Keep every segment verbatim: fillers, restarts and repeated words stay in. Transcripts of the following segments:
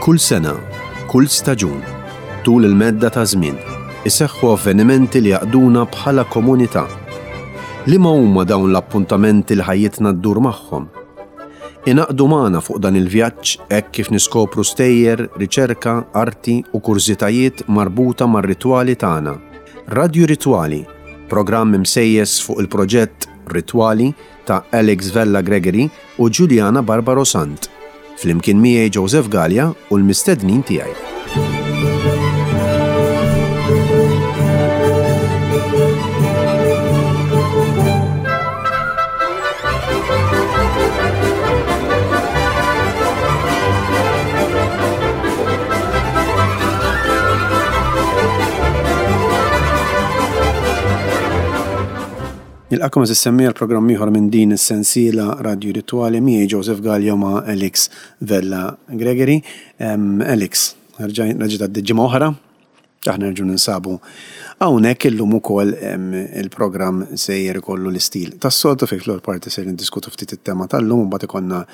Kull sena, kull staġun, tul il-medda ta' żmien, iseħħu avvenimenti li jaqduna bħala komunità. Liema huma dawn l-appuntamenti li ħajjitna ddur magħhom? Ingħaqdu magħna fuq dan il-vjaġġ hekk kif niskopru stejjer, riċerka, arti u kurżitajiet marbuta mar-ritwali tagħna. Radju Ritwali, programm imsejjes fuq il-proġett Ritwali ta' Alex Vella Gregory u Giuliana Barbaro Sant. Flimkien miegħi Joseph Gallia u l-mistednin tiegħi. Nilqagħkom għeżież semmiegħa l-programm ieħor minn din is-sensiela Radio Ritwali miegħi Joseph Gallia ma' Alex Vella Gregory. Um, Alex, reġgħet għaddiet ġimgħa oħra, aħna nerġgħu ninsabu hawnhekk illum ukoll il-programm sejjer ikollu l-istil. Tas-soltu fejn fl parti ser niddiskutu ftit it-tema tal-lum, mbagħad ikollna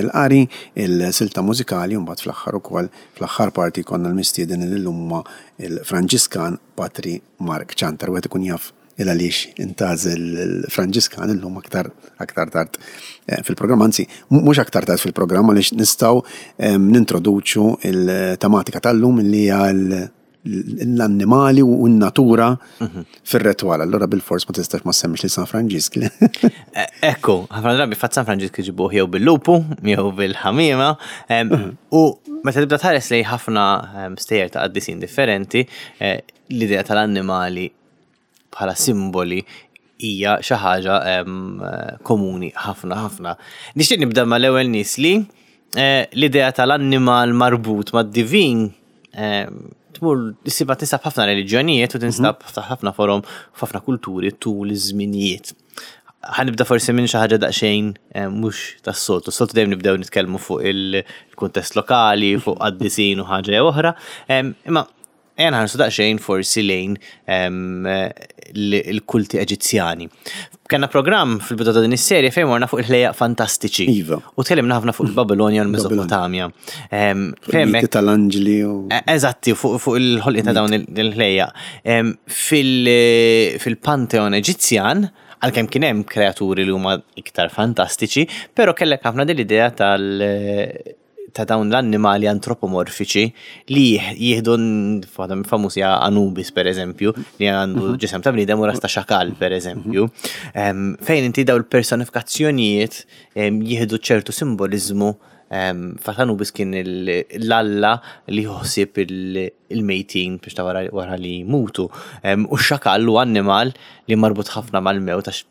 il-qari, il-silta mużikali, u mbagħad fl-aħħar ukoll fl-aħħar parti jkollna l-mistieden li llum huma il-Franġiskan Patri Mark Ciantar, wieħed ikun jaf il għaliex intgħażel il-Franġiskan illum aktar aktar tard eh, fil-programm, anzi mhux aktar tard fil-programm għaliex nistgħu nintroduċu il-tematika tal-lum li hija l-annimali u n-natura mhm. fir-retwal. Allora bil-fors ma tistax ma semmix li San Franġisk. Eh, ekku, ħafna drabi fatt San Franġisk iġibuh jew bil-lupu, jew bil-ħamiema. Mhm. U meta tibda tħares lejn ħafna stejjer ta' qaddisin differenti, eh, l-idea tal-annimali bħala simboli hija xi ħaġa komuni ħafna ħafna. Nixtieq nibda mal-ewwel nies li eh, l-idea tal-annimal marbut mad-divin tmur issibha tinsab ħafna reliġjonijiet u tinsab mhm. ħafna forom f'ħafna kulturi tul iż-żminijiet. Ħa nibda forsi minn xi ħaġa daqsxejn mhux tas-soltu. Soltu dejjem nibdew nitkellmu fuq il-kuntest lokali, fuq qaddisin u ħaġa jew oħra. Imma ejja nħarsu daqsxejn forsi lejn il-kulti Eġizzjani. Kellna programm fil-bidu ta' din is-serje fejn morna fuq il-ħlejjaq fantastiċi. Iva. U tkellimna ħafna fuq il-Babilonja u l-Mesopotamja. Fejn tal-anġli u. E, eżatti, fuq il-ħolqien ta' dawn il-ħlejjaq. Fil-Panteon Eġizzjan, għalkemm kien hemm kreaturi li huma iktar fantastiċi, però kellek ħafna din l-idea tal- ta' dawn l-annimali antropomorfiċi li jieħdu waħda famużi Anubis per eżempju, li għandu mhm. ġisem ta' bniedem u ras ta' xakal per eżempju, mhm. fejn inti daw il-personifikazzjonijiet jieħdu ċertu simbolizmu. Fatt Anubis kien l-alla li jħossib il-mejtin biex ta' wara li jmutu. U x-xakal hu annimal li marbut ħafna mal-mewt għax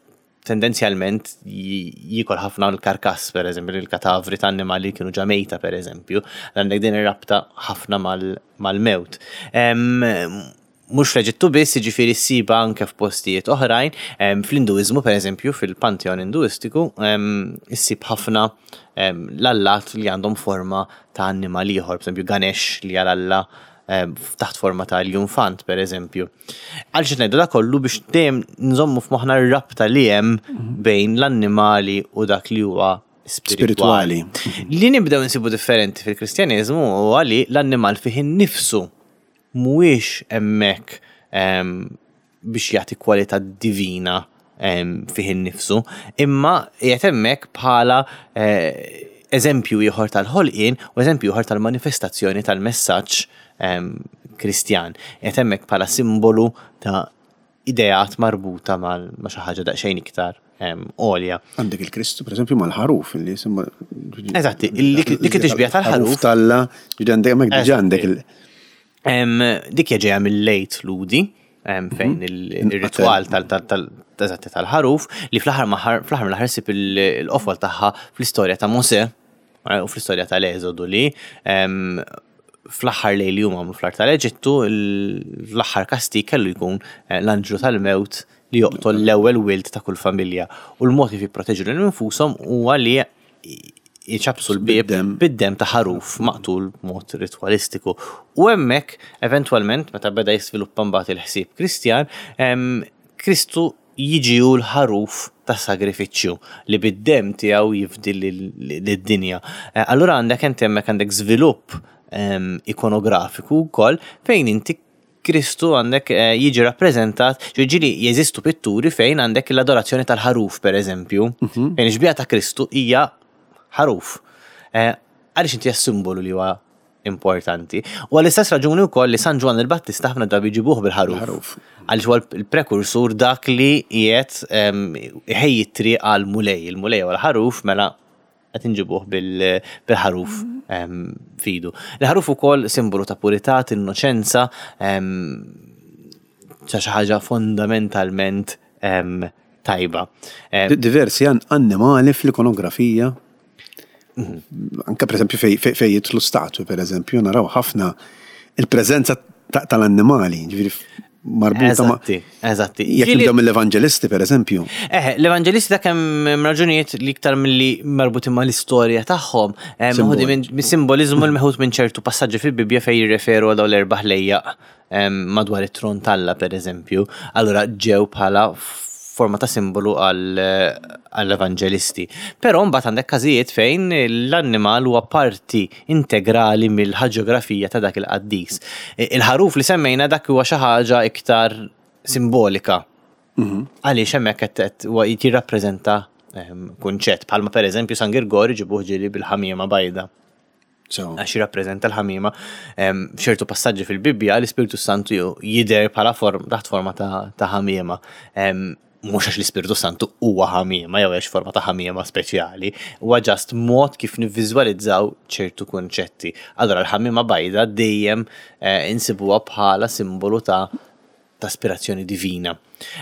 tendenzjalment jiekol ħafna l-karkass, per eżempju, il-katavri ta' annimali li kienu ġa mejta, per eżempju, għandek din ir-rabta ħafna mal-mewt. Mhux fl-Eġittu biss, jiġifieri ssibha anke f'postijiet oħrajn, fl-Induiżmu, per eżempju, fil-pantheon Induistiku, issib ħafna l-allat li għandhom forma ta' annimal ieħor, per eżempju Ganesh li għal alla taħt forma ta' l-infant, per eżempju. Għaliex ngħidu da kollu biex dejjem nżommu f'moħħna r-rabta li hemm mhm. bejn l-annimali u dak li huwa spiritwali. Li nibdew nsibu differenti fil-Kristjaneżmu huwa li l-annimal fih innifsu mhuwiex hemmhekk biex jagħti kwalità divina fih innifsu, imma qiegħed hemmhekk bħala eh, eżempju ieħor tal-ħolqien u eżempju ieħor tal-manifestazzjoni tal-messaġġ Kristjan. Qiegħed hemmhekk bħala simbolu ta' ideat marbuta ma' xi ħaġa daqsxejn iktar għolja. Għandek il-Kristu, per eżempju, mal-ħaruf, li simbolu. Eżatti, dik it-tixbija tal-ħaruf. Talla, ġifieri għandek hemmhekk diġà għandek il- Dik hija ġejja mill-lejt Ludi, fejn mhm. il-ritwal tal-eżatti tal-ħaruf li fl-aħħar fl-aħħar mill-aħħar ssib il-qofol tagħha fl-istorja ta' Mosè eh, u fl-istorja tal-Eżodu li fl-aħħar lejl li huma għamlu fl-art tal-Eġittu, l-aħħar kastig kellu jkun eh, l-anġlu tal-mewt li joqtol l-ewwel wild ta' kull familja. U l-mod kif jipproteġu lil infushom huwa li jċappsu l-bieb bid-demm ta' ħaruf maqtul b'mod ritwalistiku. U hemmhekk, eventwalment, meta beda jisviluppa mbagħad il-ħsieb Kristjan, Kristu jiġi hu l-ħaruf ta' sagrifiċċju li bid-dem tiegħu jifdi lid-dinja. Eh, Allura għandek inti hemmhekk għandek żvilupp em, ikonografiku wkoll fejn inti Kristu għandek eh, jiġi rappreżentat, ġieli jeżistu pitturi fejn għandek l-adorazzjoni tal-ħaruf per eżempju, fejn ix-xbieha ta' Kristu hija ħaruf. Eh, Għaliex inti simbolu li huwa importanti. U għall-istess raġuni wkoll li San Ġwann il-Battista ħafna drabi jġibuh bil-ħaruf. Ħaruf. Għaliex huwa l-prekursur dak li qiegħed em, iħejji t-triq għal Mulej. Il-Mulej huwa l-ħaruf mela qed inġibuh bil- bil-ħaruf em, f'idu. Il-ħaruf ukoll simbolu ta' purità, innoċenza, em, ta' xi ħaġa fondamentalment em, tajba. Em, Di- Diversi an- annimali fl-ikonografija. Anka per eżempju fej, fej, fej jidħlu statwi, per eżempju, naraw ħafna il-preżenza ta- tal-annimali, ġifieri marbuta ma' Eżatti, eżatti. Jekk Ġieli- nibdew mill-Evangelisti, per eżempju. Eh, l-Evangelisti ta' kemm raġunijiet li iktar milli marbutin ma' l-istorja tagħhom, eh, meħudi minn minn simbolizmu li meħud minn ċertu passaġġi fil-Bibja fejn jirreferu għal dawn l-erba' ħlejjaq em, madwar it-tron t'Alla per eżempju. Allura ġew bħala forma ta' simbolu għall-evangelisti. Però mbagħad għandek każijiet fejn l-annimal huwa parti integrali mill-ħaġografija ta' dak il-qaddis. Il-ħaruf li semmejna dak huwa xi ħaġa iktar simbolika. Għaliex hemmhekk qed qed huwa jirrappreżenta ehm, kunċett bħalma pereżempju San Girgor ġibuh ġieli bil-ħamiema bajda So, għax jirrappreżenta l-ħamiema Em, f'ċertu passaġġi fil-Bibbja l-Ispirtu Santu ju- jidher bħala form taħt forma ta' ta' ħamiema. Em, Mhux għax l-Ispirtu Santu huwa ħamiema jew għax forma ta' ħamiema speċjali, huwa just mod kif nivviżwalizzaw ċertu kunċetti. Allora l-ħamiema bajda dejjem eh, insibuha bħala simbolu ta' ta' aspirazzjoni divina.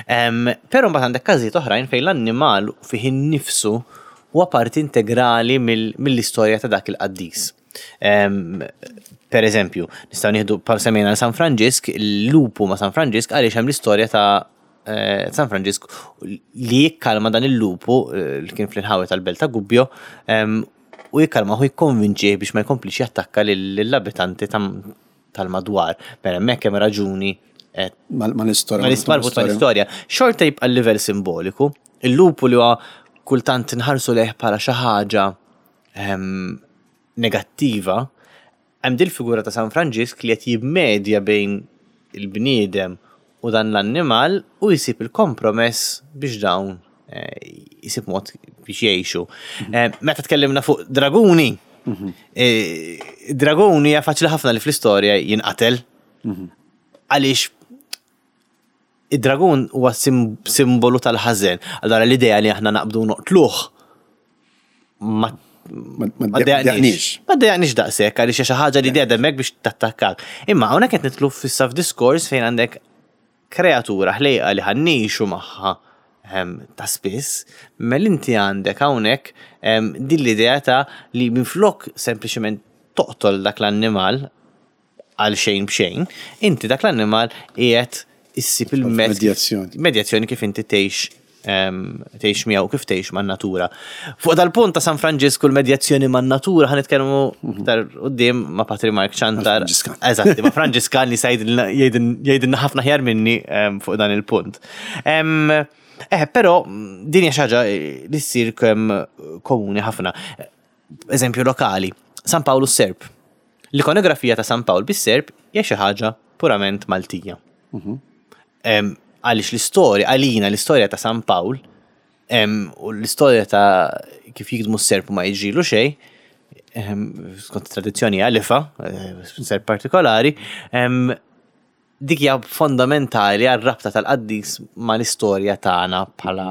Em, Però mbagħad għandek każijiet oħrajn fejn l-annimal fih innifsu huwa parti integrali mill- mill-istorja ta' dak il-qaddis. Em, Per eżempju, nistgħu nieħdu bħal semmejna San Franġisk, il-lupu ma' San Franġisk għaliex hemm l-istorja ta' eh, San Franġisk li jikkalma dan il-lupu eh, li kien fl-inħawi tal-belt ta' Gubbio em, u jikkalma u jikkonvinċih biex ma jkomplix jattakka lill-abitanti tam- tal-madwar. Mela hemmhekk hemm raġuni eh, mal- mal-istorja. ma marbut mal-istorja. Xorta jibqa' l-livell simboliku. Il-lupu li huwa kultant nħarsu lejh bħala xi ħaġa ehm, negattiva, hemm dil figura ta' San Franġisk li qed jimmedja bejn il-bniedem u dan l-annimal u jsib il-kompromess biex dawn eh, jisib mod biex jgħixu. Eh, Meta tkellimna fuq draguni, eh, draguni hija faċli ħafna li fl-istorja jinqatel. Għaliex id-dragun huwa sim simbolu tal-ħażen. Allora l-idea li aħna naqbdu noqtluh ma Ma ma ma ddejjaqniex. Ma ddejjaqniex daqshekk għaliex xi ħaġa li dejja hemmhekk biex tattakkak. Imma hawnhekk qed nidħlu fissa f'diskors fejn għandek kreatura ħlejqa li ħa ngħixu magħha em, ta' spiss, mela inti għandek hawnhekk em, din l-idea ta' li minflok sempliċement toqtol dak l-annimal għal xejn b'xejn, inti dak l-annimal qiegħed issib il-mezz Medjazzjoni. medjazzjoni kif inti tgħix em, tgħix miegħu kif tgħix man-natura. Fuq dal-punt ta' San Franġisku l-medjazzjoni man-natura ħa nitkellmu iktar quddiem ma' Patri Mark Ċantar. Franġiskan. Eżatti, ma' Franġiskan li sa jgħidilna jgħidilna ħafna aħjar minni em, fuq dan il-punt. Em, Eh, però din hija xi ħaġa li ssir kemm komuni ħafna. Eżempju lokali, San Pawl is-Serp. L-ikonografija ta' San Pawl bis-Serp hija xi ħaġa purament Maltija. Em, Għaliex l-istorja, għalina l-istorja ta' San Pawl em, u l-istorja ta' kif jigdmu s-serp u ma jiġrilu xejn, em, skont tradizzjoni għalifa, eh, serp partikolari, em, dik hija fondamentali għar-rabta tal-qaddis mal-istorja tagħna bħala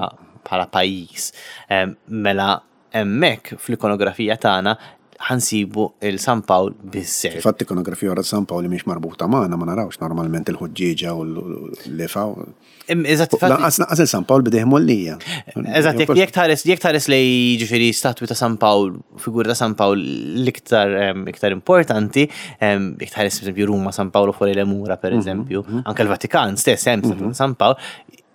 bħala pajjiż. Em, Mela hemmhekk fl-ikonografija tagħna ħa nsibu il-San Pawl bis-serp. Fatt ikonografija wara San Pawl li mhix marbuta magħna ma narawx normalment il-ħuġġieġa u l-lifa. Em, Eżatt, infatti- Lanqas lanqas il-San Pawl b'idejh mgħollija. Eżatt, jekk jekk tħares jekk tħares lej ġifieri statwi ta' San Pawl, figura ta' San Pawl l-iktar em, iktar importanti, em, jekk tħares per eżempju Ruma San Paolo fuori le mura per eżempju, anke l-Vatikan stess hemm statwa ta' San Pawl,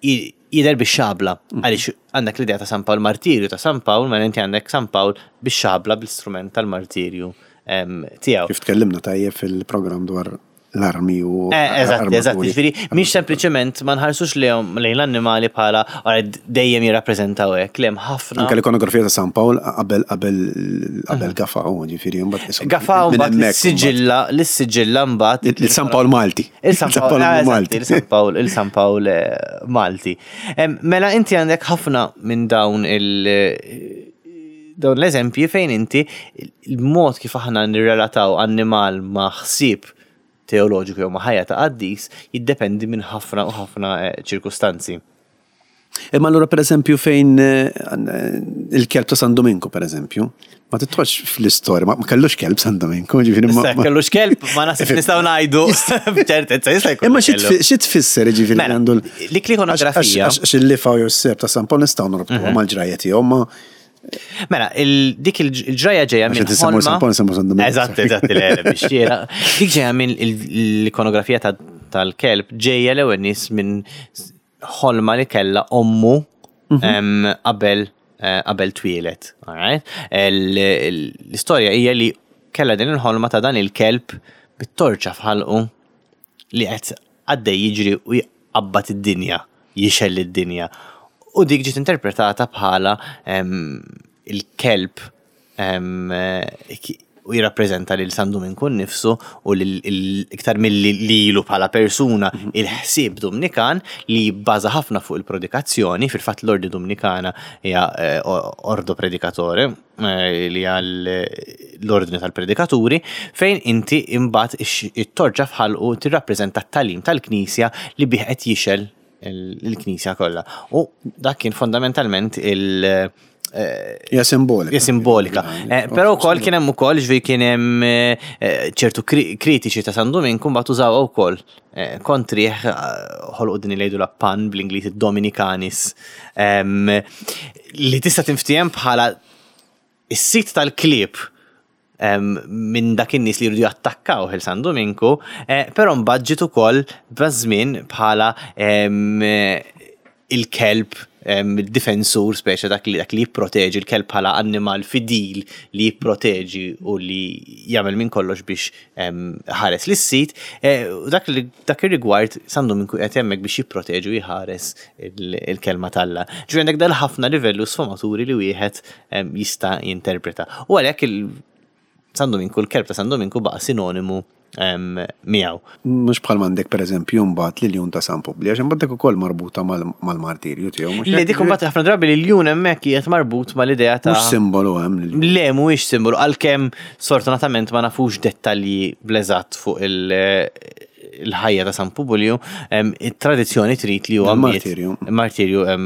i- jidher bix-xabla. Għaliex għandek l-idea ta' San Pawl martirju ta' San Pawl, ma inti għandek San Pawl bix-xabla bl-istrument tal-martirju em, tiegħu. Kif tkellimna tajjeb fil-programm dwar l-armi u Eh, Eżatt, eżatt, armaturi. ġifieri, mhix sempliċement ma nħarsux lejhom lejn l-annimali bħala ora dejjem jirrappreżentaw hekk, le hemm ħafna. Anke l-ikonografija ta' San Pawl qabel qabel qabel Gafa, u ġifieri mbagħad isom- Gafa minn mbagħad hemmhekk l-siġilla, l-siġilla mbagħad. Il- Il-San Pawl Malti. Il-San Pawl eh, eżatt, Malti. Il-San Pawl, il-San Pawl eh, Malti. Em, Mela inti għandek ħafna minn dawn il- dawn l-eżempji fejn inti il-mod kif aħna nirrelataw annimal ma' ħsieb teoloġiku jew ma' ħajja ta' qaddis jiddependi minn ħafna u ħafna eh, ċirkustanzi. Imma allura per eżempju fejn eh, il-kelb ta' San Dominku per eżempju, ma tidħolx fl-istorja, ma ma kellux kelb San Dominku, ġifieri ma- Issa ma- kellux kelb, ma naħseb nistgħu ngħidu b'ċertezza jista' jkun. Imma xi kellu. tfi- xi tfisser ġifieri Mela, għandu l- dik l-ikonografija- Għax għax il-lifa u s-serp ta' San Pawl nistgħu norbtuha mal-ġrajja tiegħu, ma Mela, il- dik il-ġraja ġeja Għax minn qed insemmu ħolma. San Pawl, nsemmu San Dominku. Eżatt, eżatt, le, le, biex jiena. Dik ġeja minn il- l-ikonografija ta- tal-kelb ġeja l-ewwel nies minn ħolma li kella ommu em, qabel eh, qabel twieled. Alright? El- el- L-istorja hija li kella din il-ħolma ta' dan il-kelb bit-torċa f'ħalqu li qed għaddej jiġri u jqabbad id-dinja, jixgħel id-dinja. U dik ġiet interpretata bħala em, il-kelb em, eh, ki- u jirrappreżenta lil San Dominku nnifsu u lil il- iktar milli lilu bħala persuna il-ħsieb Dominikan li jibbaża ħafna fuq il-predikazzjoni, fil-fatt l-Ordni Dominikana hija eh, Ordo Predicatore, eh, li hija l- l-ordni tal-predikaturi, fejn inti imbagħad ix- it-torċa f'ħalqu tirrappreżenta t-tagħlim tal-Knisja li bih qed jixgħel il- il-Knisja kollha. U dak kien fondamentalment il- eh, hija simbolika. hija simbolika. Eh, Però wkoll kien hemm ukoll ġifieri kien hemm eh, eh, ċertu kri- kritiċi ta' San Dominku mbagħad użawha wkoll eh, kontrih eh, ħolqu din li jgħidu la pun bl-Ingliż Dominicanis em, li tista' tinftiehem bħala is-sit tal-klieb em, minn dak in-nies li jridu jattakkaw il San Dominku, eh, però mbagħad ġiet ukoll bażmien bħala em, eh, il-kelb em, il-difensur speċa dak li dak li jipproteġi il-kelb bħala annimal fidil li jipproteġi u li jagħmel minn kollox biex em, ħares lis-sit, eh, u dak li dak ir-rigward San Dominku qed hemmhekk biex jipproteġi u jħares il- il-kelma t'Alla. Ġifieri għandek dal ħafna livellu sfumaturi li wieħed em, jista' jinterpreta. U għalhekk il San Dominku, l-kelb ta' San Dominku baqa' sinonimu em, miegħu. Mhux bħal m'għandek per eżempju mbagħad l-iljun ta' San Publi, għax imbagħad dik ukoll marbuta mal- mal-martirju tiegħu. mhux Li hekk? dik imbagħad ħafna drabi li l-iljun hemmhekk qiegħed marbut mal-idea ta' Mhux simbolu hemm l-iljun. Le, mhuwiex simbolu, għalkemm sfortunatament ma nafux dettalji bleżatt fuq il- il-ħajja ta' San Publiju, em, it-tradizzjoni trid li huwa miet- Il-martirju. Il-martirju em,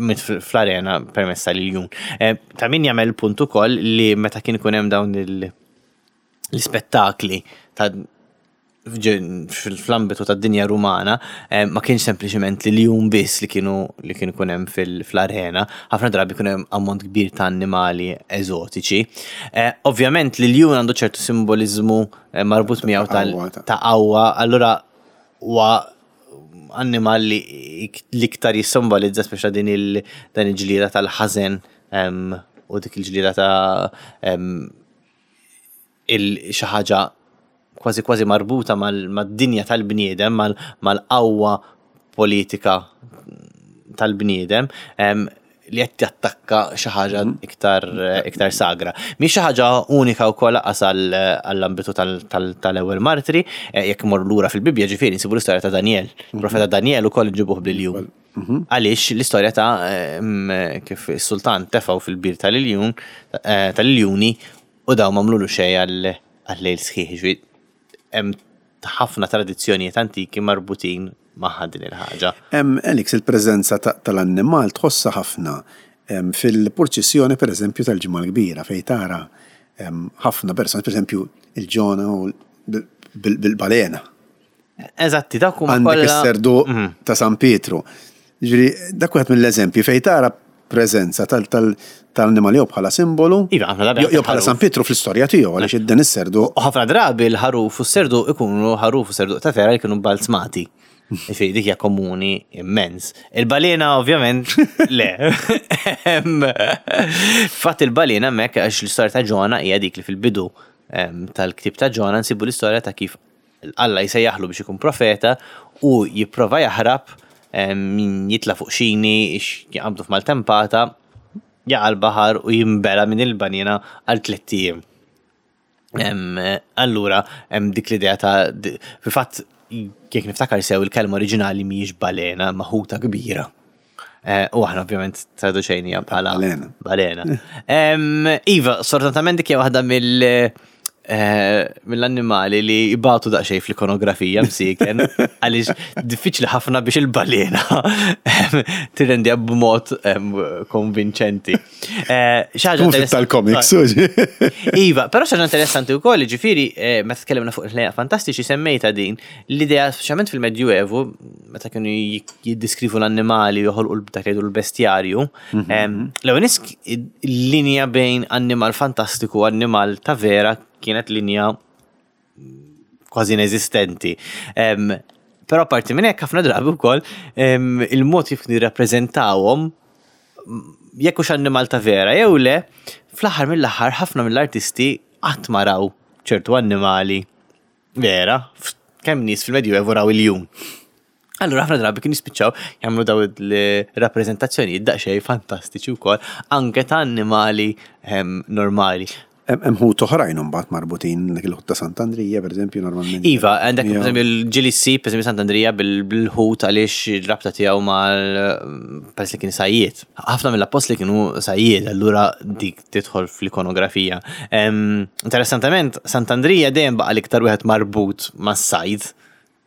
miet fl- fl-arena permezz tal-iljun. Em, Ta' min jagħmel punt ukoll li meta kien ikun hemm dawn il- l-ispettakli ta' fġ- fl-ambitu tad dinja rumana eh, ma kienx sempliċement li l-iljun biss li kienu li kienu ikun hemm fil- fl-arena, ħafna drabi kien hemm ammont kbir ta' annimali eżotiċi. Eh, Ovvjament li l-iljun għandu ċertu simbolizmu eh, marbut miegħu tal- qawwa, ta' ta' qawwa, allura huwa annimal li l-iktar jissimbolizza speċa din il dan il-ġlieda tal-ħażen em, u dik il-ġlieda ta' em, il xi ħaġa kważi kważi marbuta mal- mad-dinja tal-bniedem, mal- mal-qawwa politika tal-bniedem, em, li qed jattakka xi ħaġa iktar iktar sagra. Mhix xi ħaġa unika wkoll lanqas għall- għall-ambitu tal- tal- tal-ewwel martri, eh, jekk imorru lura fil-Bibbja ġifieri nsibu l-istorja ta' Daniel. Il-profeta Daniel ukoll nġibuh bl-iljun. Għaliex l-istorja ta' em, kif is-sultan tefgħu fil-bir tal-iljun eh, tal-iljuni u daw m'għamlulu xejn għal għal-lejl sħiħ. Ġifieri hemm ħafna tradizzjonijiet antiki marbutin magħha din il-ħaġa. Hemm Alex il-preżenza ta- tal-annimal tħossha ħafna em, fil-purċissjoni per eżempju tal-ġimgħa l-kbira fejn tara em, ħafna persuni, per eżempju il-ġona u l- bil- bil-balena. Eżatti, dak huma Għandek kollha- is-serdu Mhm. ta' San Pietru. Ġifieri dak wieħed mill-eżempji fejn tara preżenza tal- tal- tal-annimali jew bħala simbolu. Iva, ħafna drabi jew jew bħala ħaruf. San Pietru fl-istorja tiegħu għaliex id-dan is-serdu U ħafna drabi l-ħaruf u s-serdu ikunu ħaruf u serdu ta' vera li kienu balzmati. Ġifieri dik hija komuni immens. Il-balena ovvjament le. Em, Fatt il-balena hemmhekk għax l-istorja ta' Ġona hija dik li fil-bidu em, tal-ktib ta' Ġona nsibu l-istorja ta' kif Alla jsejjaħlu biex ikun profeta u jipprova jaħrab, em, jitla fuq xini, jaqbdu f'maltempata, jaqa' l-baħar u jimbela minn il-banjena għal tlett ijiem. Em, Allura, hemm dik l-idea ta' di- fil-fatt, jekk niftakar sew, il-kelma oriġinali mhijiex balena, ma ħuta kbira. Eh, U aħna ovvjament traduċejnija bħala Balena. Balena. Em, Iva, sfortunatament dik hija waħda mill eh, mill-annimali li jibatu daqsxejn fl-ikonografija msiken, għaliex diffiċli ħafna biex il-balena em, tirrendija b'mod em, konvinċenti. Eh, xi ħaġa Tkun fit interess- tal-comics, uġi. Iva, però xi ħaġa interessanti wkoll, ġifieri, eh, meta tkellimna fuq il-ħlejjaq fantastiċi semmejta din, l-idea, speċjalment fil-Medjuevu, meta kienu jiddiskrivu l-annimali u joħolqu dak li jgħidu l-bestjarju, em, l-ewwel nies il-linja bejn annimal fantastiku u annimal ta' vera kienet linja kważi inesistenti. Em, Però parti minn hekk, ħafna drabi wkoll em, il-mod kif nirrappreżentawhom, jekk hux annimal ta' vera jew le, fl-aħħar mill-aħħar ħafna mill-artisti qatt ma raw ċertu annimali vera, f- kemm nies fil-Medjuevu raw iljun. Allura ħafna drabi kien jispiċċaw jagħmlu daw il-rappreżentazzjonijiet daqsxejn fantastiċi wkoll anke ta' annimali em, normali. Hemm ħut oħrajn imbagħad marbutin, dak il-ħut ta' Sant'Andrija, pereżempju, normalment. Iva, għandek Ja. per eżempju l-ġili ssib, per eżempju Sant'Andrija bil- bil-ħut għaliex il-rabta tiegħu mal peress li kien sajjied. Ħafna mill-appostli kienu sajjied, allura dik tidħol fl-ikonografija. Em, Interessantament, Sant'Andrija dejjem baqa' l-iktar wieħed marbut mas-sajd.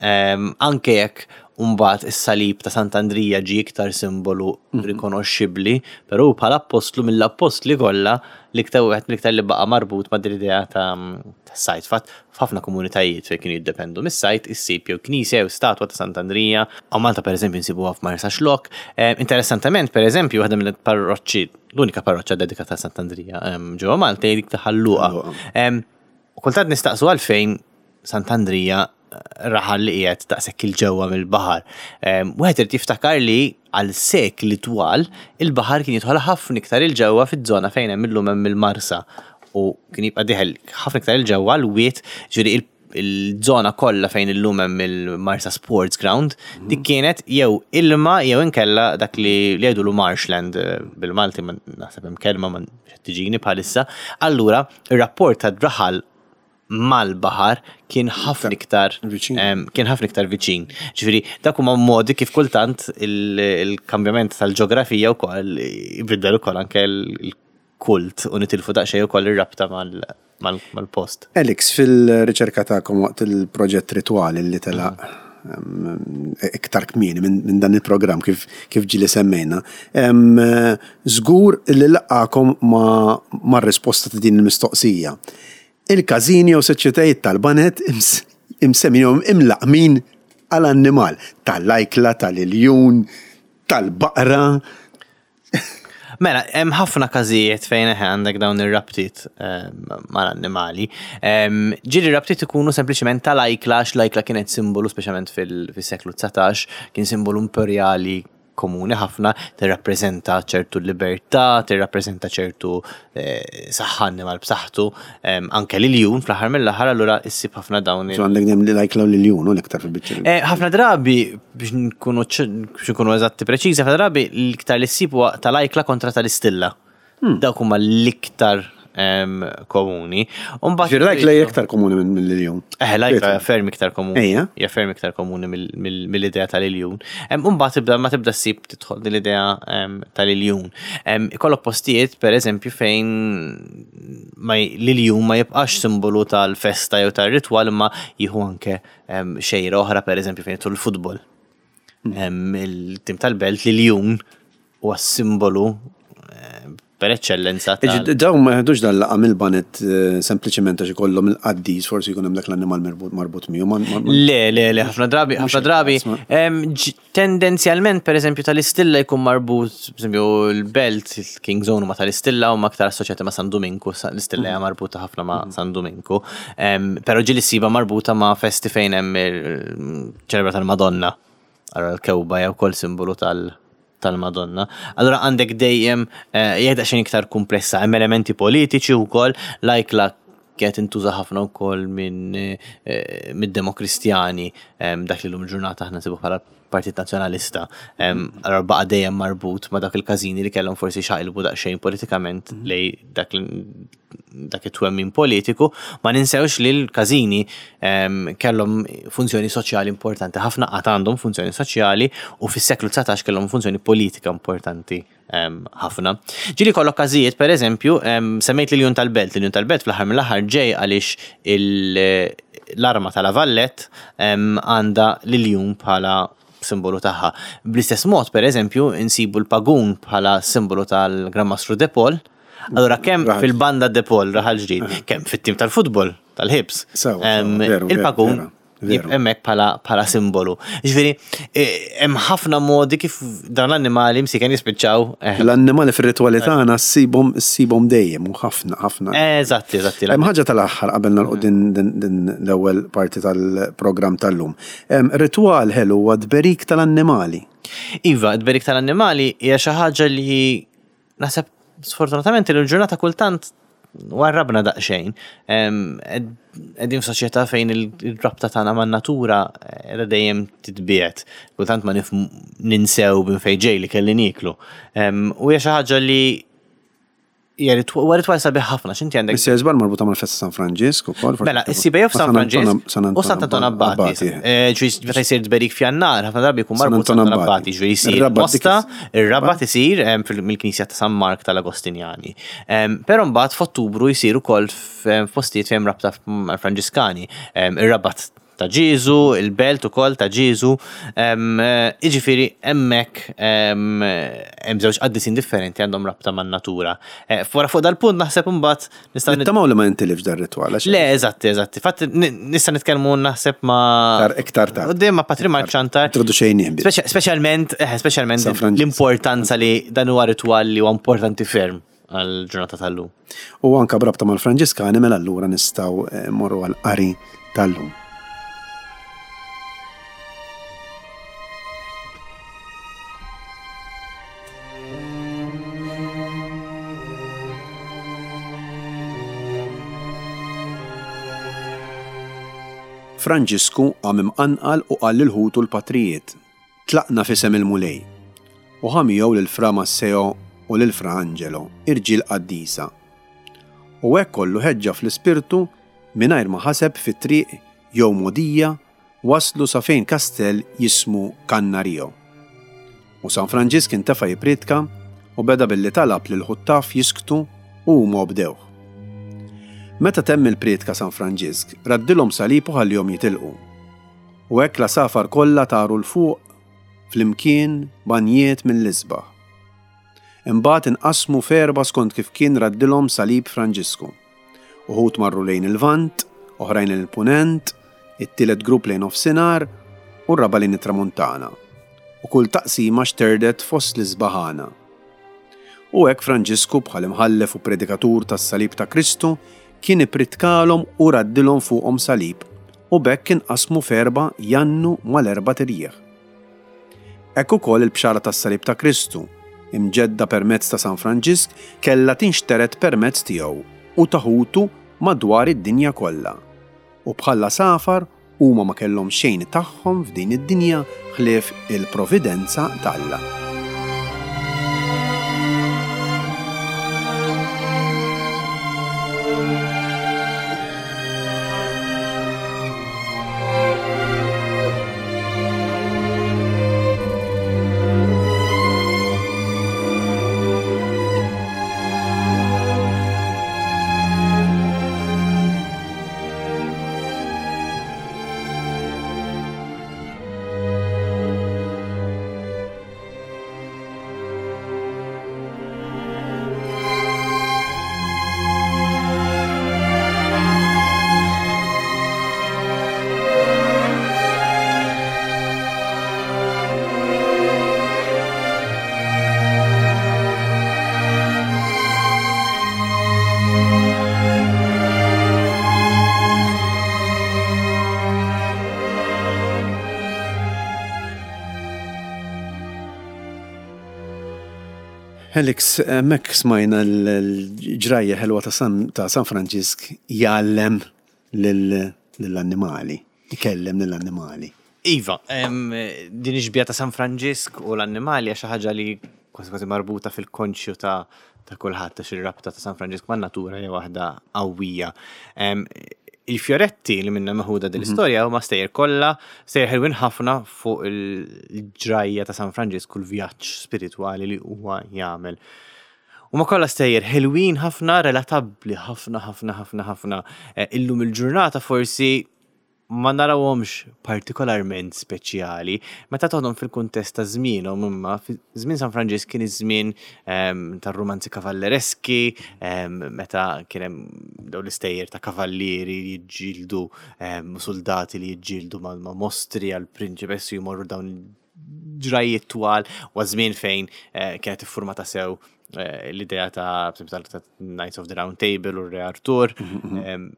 Em, Anke jekk mbagħad is-salib ta' Sant'Andrija ġie iktar simbolu rikonoxxibbli, però bħala appostlu mill-appostli kollha l-iktar wieħed mill-iktar li baqa' marbut ma' din l-idea ta' ta' sajd. Fatt f'ħafna komunitajiet fejn kienu jiddependu mis-sajd issib jew knisja jew statwa ta' Sant'Andrija. U Malta, pereżempju, nsibuha f'Marsa Xlokk. Eh, Interessantement, pereżempju, waħda mill-parroċċi, l-unika parroċċa dedikata ta' Sant'Andrija em, ġewwa Malta hija dik ta' Ħal Luqa. Ħal Luqa. Em, U kultant nistaqsu għalfejn Sant'Andrija raħal li qiegħed daqshekk 'il ġewwa mill-baħar. Em, Wieħed irid jiftakar li għal sekli twal il-baħar kien jidħol ħafna iktar 'il ġewwa fiż-żona fejn hemm illum hemm il-Marsa u kien jibqa' dieħel ħafna iktar 'il ġewwa l-wied, ġifieri il- il-żona kollha fejn illum hemm il-Marsa Sports Ground, dik kienet jew ilma jew inkella dak li li jgħidulu marshland eh, bil-Malti, ma naħseb hemm kelma ma tiġini bħalissa. Allura ir-rapport ta' raħal mal-baħar kien ħafna iktar Viċin. em, kien ħafna iktar viċin. Ġifieri dak huma modi kif kultant il- il-kambjament tal-ġeografija wkoll jbiddel ukoll anke il-kult u nitilfu daqsxejn ukoll ir-rabta mal- mal- mal-post. Alex, fil-riċerka tagħkom waqt il-proġett Ritwali li telaq em, iktar kmieni minn min dan il-programm, kif, kif ġili semmejna, em, żgur li laqakom ma, ma risposta ta' din il-mistoqsija. Il-każini u soċjetajiet tal-baned ims- imsemmin jew imlaqmin għal-annimal, tal-ajkla, tal-iljun, tal-baqra. Mela, hemm ħafna każijiet fejn eħe għandek dawn ir-rabtiet em, mal-annimali. Em, Ġieli rabtiet ikunu sempliċement tal-ajkla, għax l-ajkla kienet simbolu, speċjalment fil- fis-seklu dsatax, kien simbolu imperjali komuni ħafna, tirrappreżenta ċertu libertà, tirrappreżenta ċertu eh, saħħa, annimal b'saħħtu, em, anke l-iljun fl-aħħar mill-aħħar, allura issib ħafna dawn il- So għandek dejjem li l-ajkla u l-iljun u l-iktar fil-biċċa. Eh, ħafna drabi, biex nkunu ċ- biex nkunu eżatti preċiżi, ħafna drabi l-iktar li ssib huwa tal-ajkla kontra tal-istilla. Dawk huma l-iktar em, komuni. U mbagħad- Ġifieri l-ajkla hija iktar komuni minn mill-iljun. Eh, l-ajkla hija ferm iktar komuni. Ejja. Hija ferm iktar komuni mill- mill- mill-idea tal-iljun. Em, U mbagħad tibda ma tibda ssib tidħol din l-idea em, tal-iljun. Em, Ikollok postijiet, per eżempju, fejn ma j- l-iljun ma jibqax simbolu tal-festa jew tal-ritwal imma jieħu anke em, xejra oħra, per eżempju fejn jidħol il-futbol. Em, Il-tim tal-Belt, l-iljun huwa simbolu eh, per eccellenza tal- Iġi, dawn ma jeħdux dan laqam il-baned eh, sempliċement għax ikollhom il-qaddis, forsi jkun hemm dak l-annimal marbut marbut miegħu. ma- ma- ma- Le, le, le, ħafna drabi, ħafna drabi. isma'. em, ġ- Tendenzjalment, per eżempju, tal-istilla jkun marbut, per eżempju, il-Belt, il-King Zone ma tal-istilla u ma aktar assoċjati ma' San Duminku, sa- l-istilla hija marbuta ħafna ma' San Duminku. Em, Però ġieli ssiba marbuta ma' festi fejn hemm il-ċelebra tal-Madonna. Allora l-kewba hija wkoll simbolu tal- tal-Madonna. Allora għandek dejjem eh, hija daqsxejn iktar komplessa, hemm elementi politiċi wkoll, l-ajkla kienet intuża ħafna wkoll minn eh, mid-Demokristjani, em, dak li llum il-ġurnata aħna nsibu bħala Partit Nazzjonalista. Em, Allora baqa' dejjem marbut ma' dak il-każini li kellhom forsi xaqilbu daqsxejn politikament lej dak l- dak it-twemmin politiku, ma ninsewx li l-każini em, kellhom funzjoni soċjali importanti, ħafna qatt għandhom funzjoni soċjali u fis-seklu dsatax kellhom funzjoni politika importanti em, ħafna. Ġieli kollok każijiet, per eżempju, em, semmejt l-Iljun tal-Belt, l-Iljun tal-Belt fl-aħħar mill-aħħar ġej għaliex il- l-arma tal-La Valette em, għandha l-iljun bħala simbolu tagħha. Bl-istess mod, per eżempju, insibu l-pagun bħala simbolu tal-Gran Mastru De Paul. Allora kemm Raħal. fil-banda De Paul Raħal Ġdid, kemm fit-tim tal-futbol tal-Hibs. Sewa, em, sewa, veru, veru, Il-pagun vera, veru. hemmhekk bħala bħala simbolu. Ġifieri, eh, hemm ħafna modi kif dawn l-annimali msiken jispiċċaw. eh, L-annimali fir-ritwali tagħna ssibhom ssibhom dejjem u ħafna ħafna. Eżatti, eżatti. Hemm ħaġa tal-aħħar qabel nagħlqu din din din l-ewwel parti tal-programm tal-lum. Hemm Ritwal ħelu huwa tberik tal-annimali. Iva, id-berik tal-annimali hija xi ħaġa li naħseb sfortunatament il-ġurnata kultant warrabna daqsxejn. Em, ed- Qegħdin f'soċjetà fejn il- il-rabta tagħna man-natura qiegħda dejjem titbiegħed. Kultant ma nif ninsew minn fejn ġej li kelli nieklu. Em, U hija xi ħaġa li hija ritwa huwa ritwal sabiħ ħafna x'inti għandek Issa żbar marbuta mal-festa San Franġisk ukoll. forsi Mela, tafu- issib jew f'San ma' San Anton- Franġisk u Sant Anton Abbati. Eh, Ġifieri meta jsir tberik f'Jannar, ħafna drabi jkun San marbut Anton Sant Anton Abbati. Abbati, ġifieri jsir Ir-Rabat dik Mosta, is- ir-Rabat isir em, fil- mill-Knisja ta' San Mark tal-Agostinjani. Em, Però mbagħad f'Ottubru jsir ukoll f- f'postijiet fejn rabta mal-Franġiskani. Em, Ir-Rabat ta' Ġiżu, il-Belt ukoll ta' Ġiżu. Em, eh, Jiġifieri hemmhekk em, hemm żewġ qaddisin differenti għandhom rabta man-natura. Eh, Wara fuq dal-punt naħseb imbagħad nistgħu nit- Nittamaw li ma jintilifx dar ritwal. għax Le, eżatti, eżatti. Fatt, nista' nitkellmu naħseb ma' Iktar- iktar tard. Quddiem ma' Patri Mark Ċantar. Introduċejnieh biss. Speċa- Speċjalment, eh, speċjalment San Franġisk. l-importanza li dan huwa ritwal li huwa importanti ferm għal-ġurnata tal-lum. U anka brabta mal-Franġiskani mela allura nistgħu eh, mmorru għal-qari tal-lum. Franġisku qam imqanqal u qal lil ħutu l-patrijiet. Tlaqna f'isem il-Mulej. U ħa miegħu lil Fra Masseo u lil Fra Angelo, irġiel qaddisa. U hekk kollu ħeġġa fl-ispirtu mingħajr ma ħaseb fit-triq jew modija waslu sa fejn kastell jismu Cannario. U San Franġisk intefa' jipritka u beda billi talab lil ħuttaf jisktu u huma obdewh. Meta temm il-prietka San Franġisk, raddilhom salib u ħallihom jitilqu. U hekk la safar kollha taru l fuq flimkien banjiet mill-isbaħ. Imbagħad inqasmu f'erba' skont kif kien raddilhom salib Franġisku. Uħud marru lejn il-Vant, oħrajn lejn il-Punent, it-tielet grupp lejn nofsinhar u r-raba' lejn it-Tramuntana. U kull taqsima xterdet fost l-isbaħana. U hekk Franġisku bħal imħallef u predikatur tas-salib ta' Kristu kien ipritkalhom u raddilhom fuqhom salib u b'hekk inqasmu f'erba' jannu mal-erba' tirjieħ. Hekk ukoll il-bxara tas-salib ta' Kristu, imġedda permezz ta' San Franġisk, kellha tinxteret permezz tiegħu u ta' ħutu madwar id-dinja kollha. U bħala safar huma ma kellhom xejn tagħhom f'din id-dinja ħlief il-providenza t'Alla. Alex, mek smajna l-ġrajja ħelwa ta' San, ta' San Franġisk jgħallem lill-annimali, ikellem lill-annimali. Iva, em, din ix-xbieha ta' San Franġisk u l-annimali hija xi ħaġa li kważi kważi marbuta fil-konxju ta' ta' kulħadd, għax ir-rabta ta' San Franġisk man-natura hija waħda qawwija. Em, Il-fjoretti li minna meħuda din l-istorja huma stejjer kollha, stejjer ħelwin ħafna fuq il-ġrajja ta' San Franġisk u l-vjaġġ spiritwali li huwa jagħmel. Huma kollha stejjer ħelwin ħafna, relatabbli ħafna ħafna ħafna ħafna. Eh, Illum il-ġurnata forsi ma narawhomx partikolarment speċjali, meta toħdom fil-kuntest ta' żmienhom, imma fi żmien San Franġisk kien iż-żmien ehm, tar-romanzi kavallereski, ehm, meta kien hemm dawn l-istejjer ta' kavallieri li jiġġieldu ehm, soldati li jiġġieldu ma' ma' mostri għal prinċipessi jmorru dawn ġrajiet twal, u żmien fejn eh, kienet iffurmata sew eh, l-idea ta' per esempio, ta' Knights of the Round Table u Re Arthur. Ehm,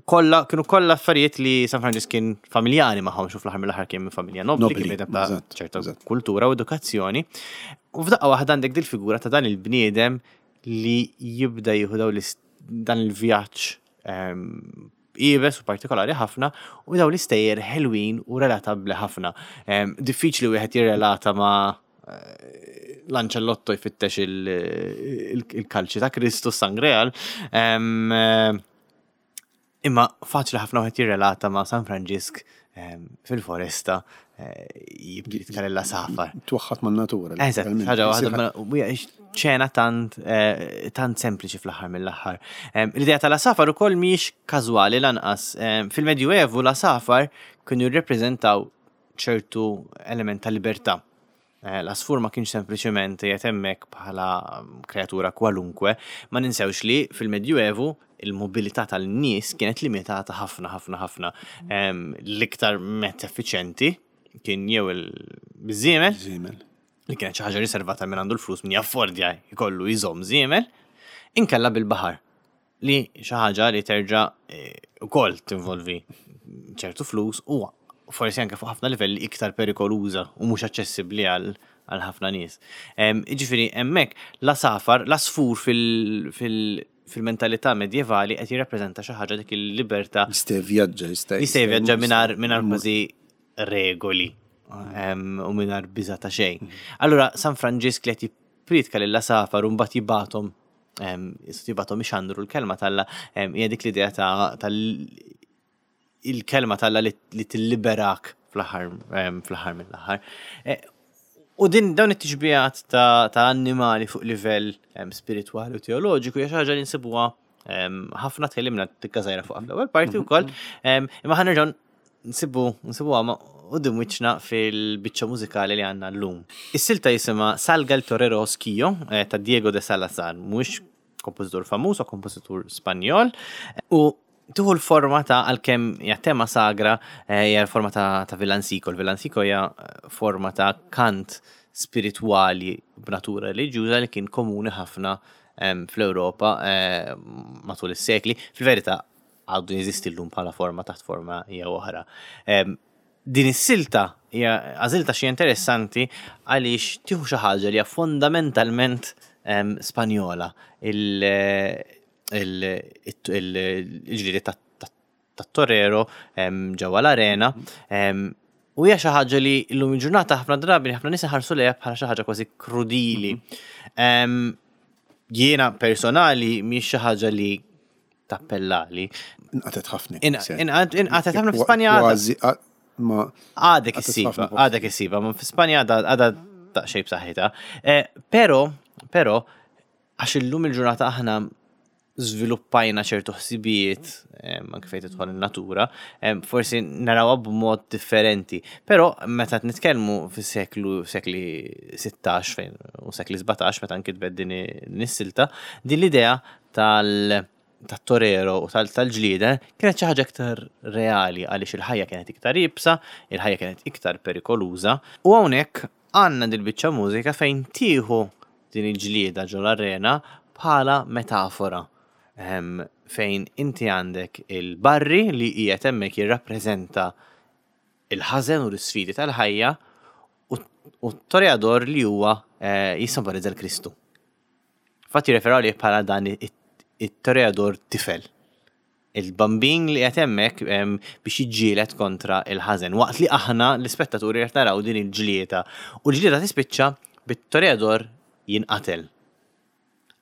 Kolla, kienu kollha affarijiet li San Franġisk kien familjari magħhom, xu fl-aħħar mill-aħħar kien minn familja nobli, Nobli, kien bniedem ta' eżatt, ċerta eżatt. kultura u edukazzjoni. U f'daqqa waħda għandek dil-figura ta' dan il-bniedem li jibda jieħu daw l-ist- dan il-vjaġġ ehm, iebes u partikolari ħafna u daw l-istejjer ħelwin u relatabbli ħafna. Ehm, Diffiċli wieħed jirrelata ma' eh, Lancelotto jfittex il- il- il-kalċi ta' Kristu Sangreal. Ehm, eh, Imma faċli ħafna wieħed jirrelata ma' San Franġisk ehm, fil-foresta eh, jibdi jitkellem l-għasafar. Twaħħat man-natura. Eżatt, letteralment. ħaġa waħda, Jsir ma- u hija ċena tant eh, tant sempliċi fl-aħħar mill-aħħar. Em, L-idea tal-għasafar ukoll mhijiex każwali lanqas. Em, Fil-Medjuevu l-għasafar kienu jirrepreżentaw ċertu element ta' libertà. Eh, L-għasfur ma kienx sempliċement qiegħed hemmhekk bħala mm, kreatura kwalunkwe, ma ninsewx li fil-Medjuevu il-mobilità tal-nies kienet limitata ħafna ħafna ħafna. Em, L-iktar mezz effiċjenti kien jew il-żiemel, Żiemel. li kienet xi ħaġa riservata minn għandu l-flus, min jaffordja jkollu jżomm żiemel, inkella bil-baħar, li xi ħaġa li terġa' eh, ukoll tinvolvi ċertu flus u forsi anke fuq ħafna livelli iktar perikoluża u mhux aċċessibbli għal għal ħafna nies. Em, Jiġifieri hemmhekk l-għasafar, l-għasfur fil- fil- fil-mentalità medjevali qed jirrappreżenta xi ħaġa, dik il-libertà. Jista' jivvjaġġa, jista' Jista' jivvjaġġa mingħajr mingħajr kważi regoli em, u mingħajr biża ta' xejn. Allura San Franġisk li qed jippriedka lill-għasafar u mbagħad jibgħathom em, jibgħathom ixandru l-kelma t'Alla, em, hija dik l-idea ta' tal il-kelma t'Alla li, li tilliberak fl-aħħar em, fl-aħħar mill-aħħar. Eh, U din dawn it-tixbihat ta', ta' annimali fuq livell em, spiritwali u teoloġiku hija xi ħaġa li nsibuha em, ħafna. Tkellimna tikka żgħira fuq fl-ewwel parti wkoll, em, imma ħa nerġgħu nsibu nsibuha ma' quddiem wiċċna fil-biċċa mużikali li għandna llum. Is-silta jisimha Salga el Torero Osquillo eh, ta' Diego de Salazar, mhux kompożitur famuż u kompożitur Spanjol, u tieħu l-forma ta', għalkemm hija tema sagra, eh, hija l-forma ta', ta' villancico. Il-villancico hija eh, forma ta' kant spiritwali b'natura reliġjuża li kien komuni ħafna em, fl-Ewropa eh, matul is-sekli. Fil-verità għadu jeżisti llum bħala forma taħt forma jew oħra. Em, Din is-silta hija għażilta xi interessanti għaliex tieħu xi ħaġa li hija fondamentalment em, Spanjola, il- il- il- il-ġliedi tat-torero ġewwa l-arena em, u hija xi ħaġa li llum il-ġurnata ħafna drabi ħafna nies iħarsu lejha bħala xi ħaġa kważi krudili. Em, Jiena personali mhix xi ħaġa li tappellali. Inqatet ħafna. Inqatet ħafna fi Spanja għadha- Kważi, a- ma Għadek Għadet issiba, ħafna post. Għadek issiba, ma fi Spanja għadha għadha daqsxejn b'saħħitha. Eh, Pero, pero, għax illum il-ġurnata aħna żviluppajna ċertu ħsibijiet em, anke fejn tidħol in-natura, em, forsi narawha b'mod differenti. Però meta qed nitkellmu fis-seklu sekli sittax fejn u sekli sbatax meta nkitbet din din is-silta, din l-idea tal tat-torero u tal- tal-ġlieda kienet xi ħaġa iktar reali għaliex il-ħajja kienet iktar iebsa, il-ħajja kienet iktar perikoluża. U hawnhekk għandna dil-biċċa mużika fejn tieħu din il-ġlieda ġol-arena bħala metafora. Em, fejn inti għandek il-barri li qiegħed hemmhekk jirrappreżenta il-ħażen u l-isfidi tal-ħajja u, U toreador li huwa eh, jissimbolizza l-Kristu. Fatti jirreferu għalih bħala dan it-toreador tifel. Il-bambin li qed hemmhekk em, biex jiġġieled kontra il-ħażen. Waqt li aħna l-ispettaturi qed naraw din il-ġlieda. U l-ġlieda tispiċċa bit-toreador jinqatel.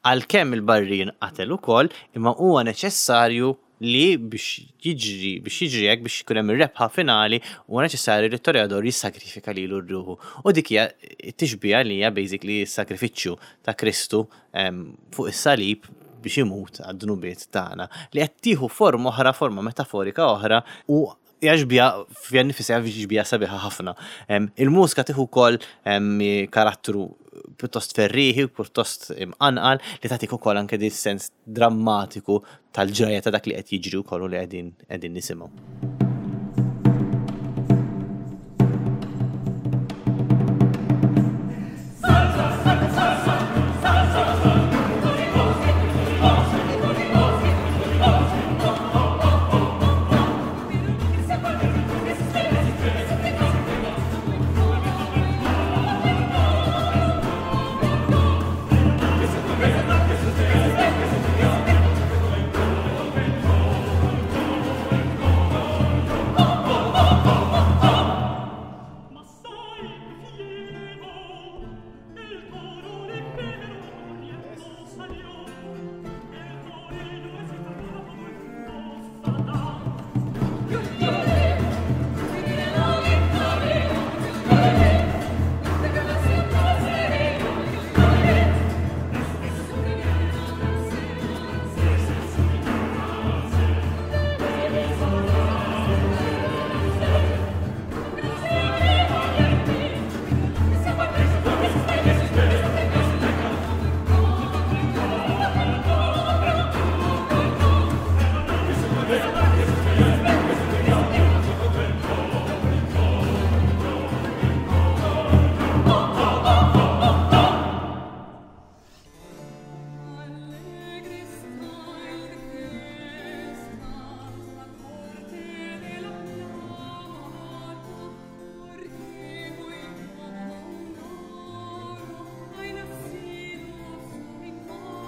Għalkemm il-barri jinqatel ukoll, imma huwa neċessarju li biex jiġri, biex jiġri hekk biex ikun hemm ir-rebħa finali, huwa neċessarju li t-toreador jissagrifika lilu ruħu. U dik hija t-tixbiha li hija basically s-sagrifiċċju ta' Kristu em, fuq is-salib biex imut għad-dnubiet tagħna li qed tieħu forma oħra, forma metaforika oħra u hija xbieha fiha nnifisha xbieha sabiħa ħafna. Em, Il-mużika tieħu wkoll em, karattru pjuttost ferriħi u pjuttost imqanqal li tagħtik ukoll anke di sens drammatiku tal-ġrajja ta' dak li qed jiġri wkoll u li qegħdin qegħdin nisimgħu. Ma sai che il toro l'effimero salió, e il torino si fermava col Allegri sta in festa la corte della pianta, porque muy como hay nacido su infante.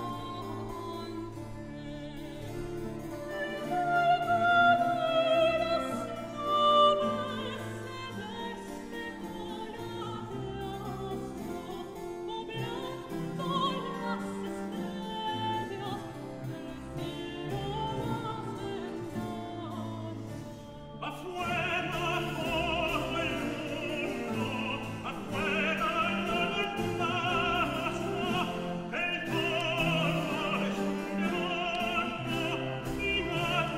Afuera todo el mundo, afuera todo el paso, el toro es un demonio y madre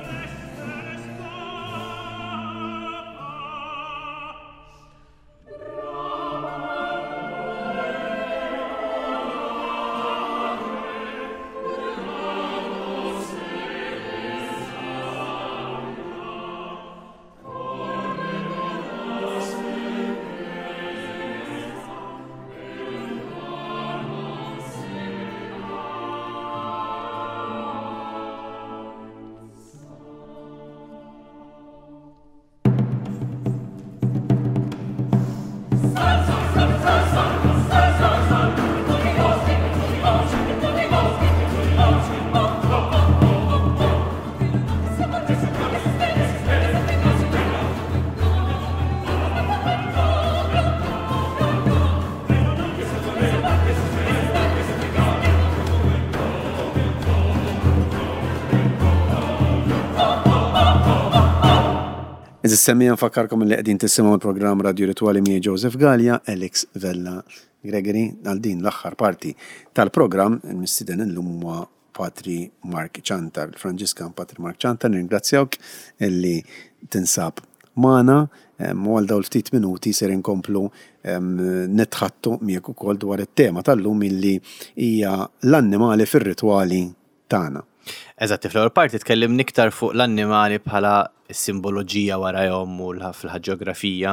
se le escapa. Għeżież semmiegħa nfakkarkom li qegħdin tisimgħu l-programm Radio Ritwali miegħi Joseph Gallia, Alex Vella Gregory, għal din l-aħħar parti tal-programm il-mistieden illum huwa Patri Mark Ciantar, il-Franġiskan Patri Mark Ciantar, nirringrazzjawk illi tinsab magħna u għal dawn ftit minuti ser inkomplu nitħattu miegħek ukoll dwar it-tema tal-lum illi hija l-annimali fir-ritwali tagħna. Eżatt, fl-ewwel parti tkellimna iktar fuq l-annimali bħala simboloġija warajhom u fil-ġeografija.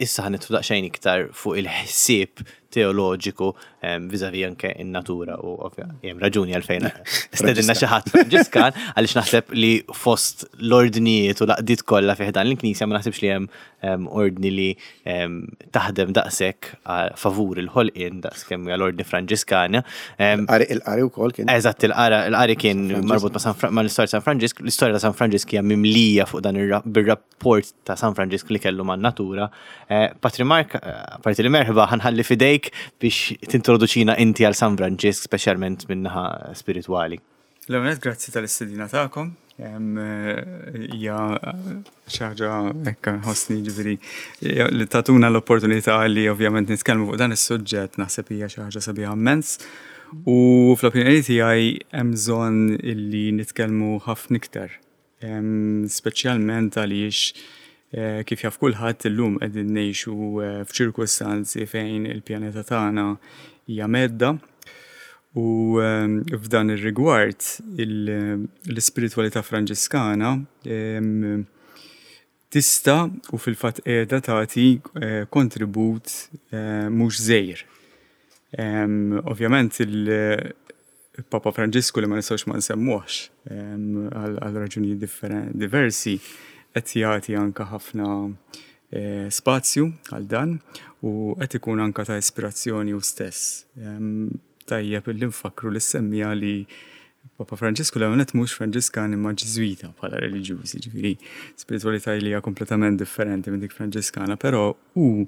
Issa ħa nidħlu daqsxejn iktar fuq il-ħsieb teoloġiku vis-a-vis anke in-natura u hemm raġuni għalfejn stedinna xi ħadd Franġiskan, għaliex naħseb li fost l-ordnijiet u l-għaqdiet kollha fi ħdan il-Knisja ma naħsibx li hemm ordni li taħdem daqshekk favur il-ħolqien daqs kemm hija l-ordni Franġiskana. Il-qari wkoll kien. Eżatt, il-qari kien marbut ma' l-istorja San Franġisk. L-istorja ta' San Franġisk hija mimlija fuq dan bir-rapport ta' San Franġisk li kellu man-natura. Patri Mark, parti li merħba, ħa nħalli f'idejk biex tintroduċina inti għal San Franġisk, speċjalment min-naħa spiritwali. L-ewwel, grazzi tal-istedina tagħkom. Hija xi ħaġa hekk nħossni, ġifieri, li tatuna l-opportunità li ovvjament nitkellmu fuq dan is-suġġett, naħseb hija xi ħaġa sabiħa immens. U fl-opinjoni tiegħi hemm bżonn illi nitkellmu ħafna iktar. Speċjalment għaliex, eh, kif jaf kulħadd, illum qegħdin ngħixu eh, f'ċirkustanzi fejn il-pjaneta tagħna hija mhedda. U ehm, f'dan ir-rigward l-ispiritualità Franġiskana ehm, tista' u fil-fatt qiegħda tagħti eh, kontribut eh, mhux żgħir. Ehm, ovvjament il-Papa Franġisku, li ma nistgħux ma nsemmuhx għal raġunijiet diversi, qed jagħti anke ħafna eh, spazju għal dan u qed ikun anke ta' ispirazzjoni hu stess. Tajjeb li nfakru lis-semmiegħa li Papa Franġisku l-għonet mhux Franġiskan imma Ġiżwita bħala reliġjużi, ġifieri spiritualità li hija kompletament differenti minn dik Franġiskana, però hu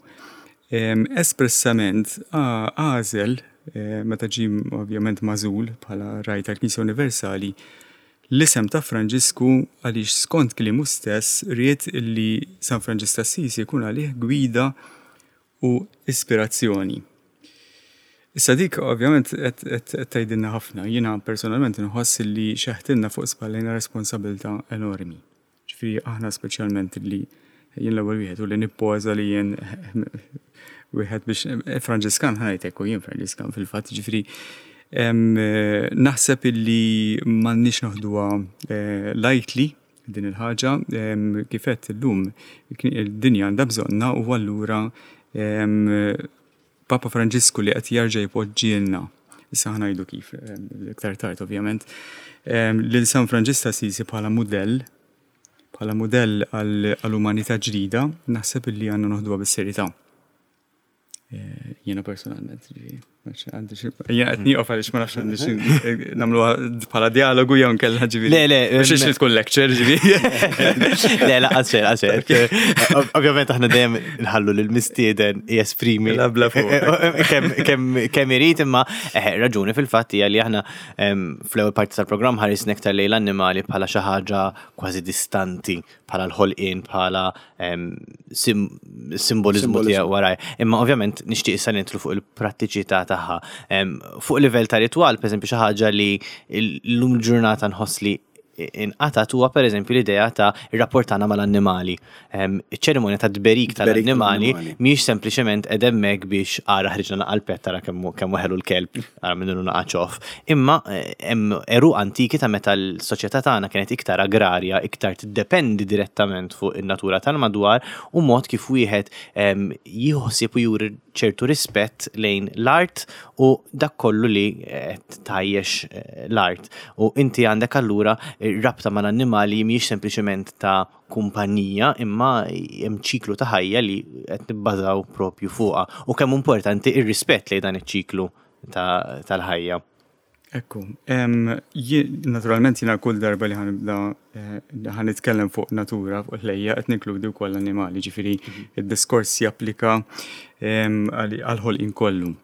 espressament għażel, eh, meta ġie ovvjament magħżul bħala ragħaj tal-Knisja Universali, l-isem ta' Franġisku, għaliex skont kliemu stess ried li San Franġisk Assisi jkun għalih gwida u ispirazzjoni. Issa dik ovvjament qed tgħidilna ħafna. Jiena personalment inħoss li xeħtilna fuq spallejna responsabilità enormi. Ġifieri aħna, speċjalment li jien l-ewwel wieħed u li nippoża li jien wieħed biex Franġiskan, ħa ngħidlek, u jien Franġiskan fil-fatt, ġifieri naħseb illi m'għandniex noħduha eh, lightly din il-ħaġa. Kif għedt, illum id-dinja għandha bżonna u allura Papa Franġisku li qed jerġa' jpoġġielna, issa ħa ngħidu kif iktar tard ovvjament, lil San Franġisk Assisi bħala mudell bħala mudell għall-umanità ġdida, naħseb illi għandna noħduha bis-serjetà. Eh, jiena personalment, jiena qed nieqaf għaliex ma nafx għandi nagħmluha bħala dialogu jew nkella, ġifieri. Le, le. Mhux tkun lecture, ġifieri. Le, le, għaxer, għaxer. Ovvjament aħna dejjem nħallu lil mistieden jesprimi Bla fuq. kemm irid, imma eh, raġuni fil-fatt hija li aħna fl-ewwel parti tal-programm ħarisna iktar lejn l-annimali bħala xi ħaġa kważi distanti, bħala l-ħolqien, bħala simboliżmu tiegħu waraj. Imma ovvjament nixtieq issa nidħlu fuq il-prattiċità tagħha. Fuq livell ta' ritwal, pereżempju, xi ħaġa li llum ġurnata nħoss li inqatat huwa pereżempju l-idea ta' ir-rapport tagħna mal-annimali. Iċ-ċerimonja ta' tberik tal-annimali mhijiex sempliċement qed hemmhekk biex ara ħriġna naqa l-pet, tara kemm kemm ħelu l-kelb, ara minnu naqa ċoff. Imma hemm għeruq antiki ta' meta l-soċjetà tagħna kienet iktar agrarja, iktar tiddependi direttament fuq in-natura tal-madwar u mod kif wieħed jieħu u juri ċertu rispett lejn l-art u dak kollu li tajjex eh, l-art. U inti għandek allura rabta mal-annimali mhijiex sempliċement ta' kumpanija, imma hemm ċiklu ta' ħajja li qed nibbażaw propju fuqha u kemm importanti ir-rispett lejn dan iċ-ċiklu tal-ħajja. Ekku, naturalment jiena kull darba li ħa nibda eh, ħa nitkellem fuq natura, fuq ħlejjaq, qed ninkludi wkoll l-annimali, ġifieri mhm. id-diskors japplika għal-ħolqien kollu.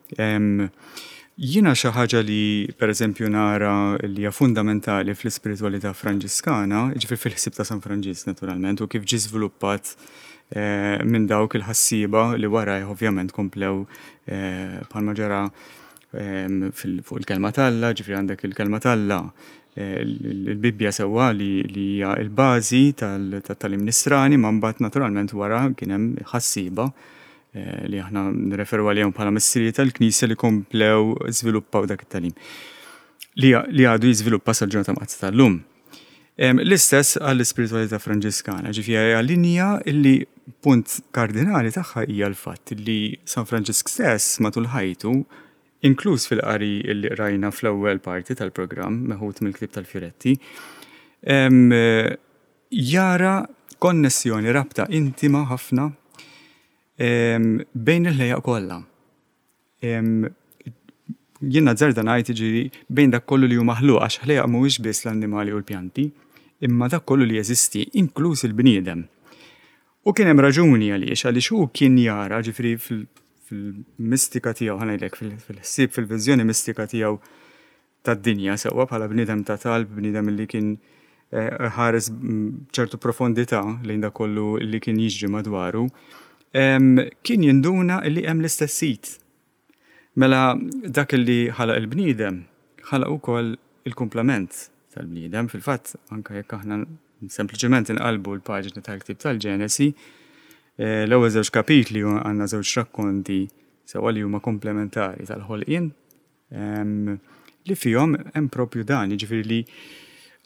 Jiena xi ħaġa li pereżempju nara li hija fundamentali fl-ispiritualità Franġiskana, ġifieri fil-ħsieb ta' San Franġisk naturalment, u kif ġie żviluppat eh, minn dawk il-ħassiba li wara ovvjament komplew, eh, bħalma ġara fuq il-kelma t'Alla, ġifieri għandek il-kelma t'Alla, eh, il-Bibbja sewwa, li hija l-bażi tal-tagħlim nisrani, ma mbagħad naturalment wara kien hemm ħassiba eh, li aħna nreferu għalihom bħala missirijiet tal-Knisja li komplew żviluppaw dak it-tagħlim li għadu jiżviluppa sal-ġurnata mqaddsa tal-lum. L-istess għall-ispiritualità Franġiskana, ġifieri hija linja illi punt kardinali tagħha hija l-fatt li San Franġisk stess matul ħajtu, inkluż fil-qari illi rajna fl-ewwel parti tal-programm meħud mill-ktieb tal-Fioretti, jara konnessjoni, rabta intima ħafna bejn il-ħlejjaq kollha. Jien nazzarda ngħid, ġifieri, bejn dak kollu li hu maħluq, għax ħlejjaq mhuwiex biss l-annimali u l-pjanti, imma dak kollu li jeżisti, inkluż il-bniedem. U kien hemm raġuni għaliex, għaliex hu kien jara, ġifieri, fil-mistika tiegħu, ħa ngħidlek, fil-ħsieb, fil-viżjoni mistika tiegħu tad-dinja, sewwa bħala bniedem ta' talb, bniedem li kien ħares ċertu profondità lejn dak kollu li kien jiġri madwaru, kien jinduna li hemm l-istess sit. Mela dak li ħalaq il-bniedem, ħalaq ukoll il-komplement tal-bniedem. Fil-fatt, anke jekk aħna sempliċement inqalbu l-paġni tal-ktieb tal-Ġenesi, l-ewwel żewġ kapitli għandna żewġ rakkonti sewwa li huma komplementari tal-ħolqien, li fihom hemm propju dan, jiġifieri li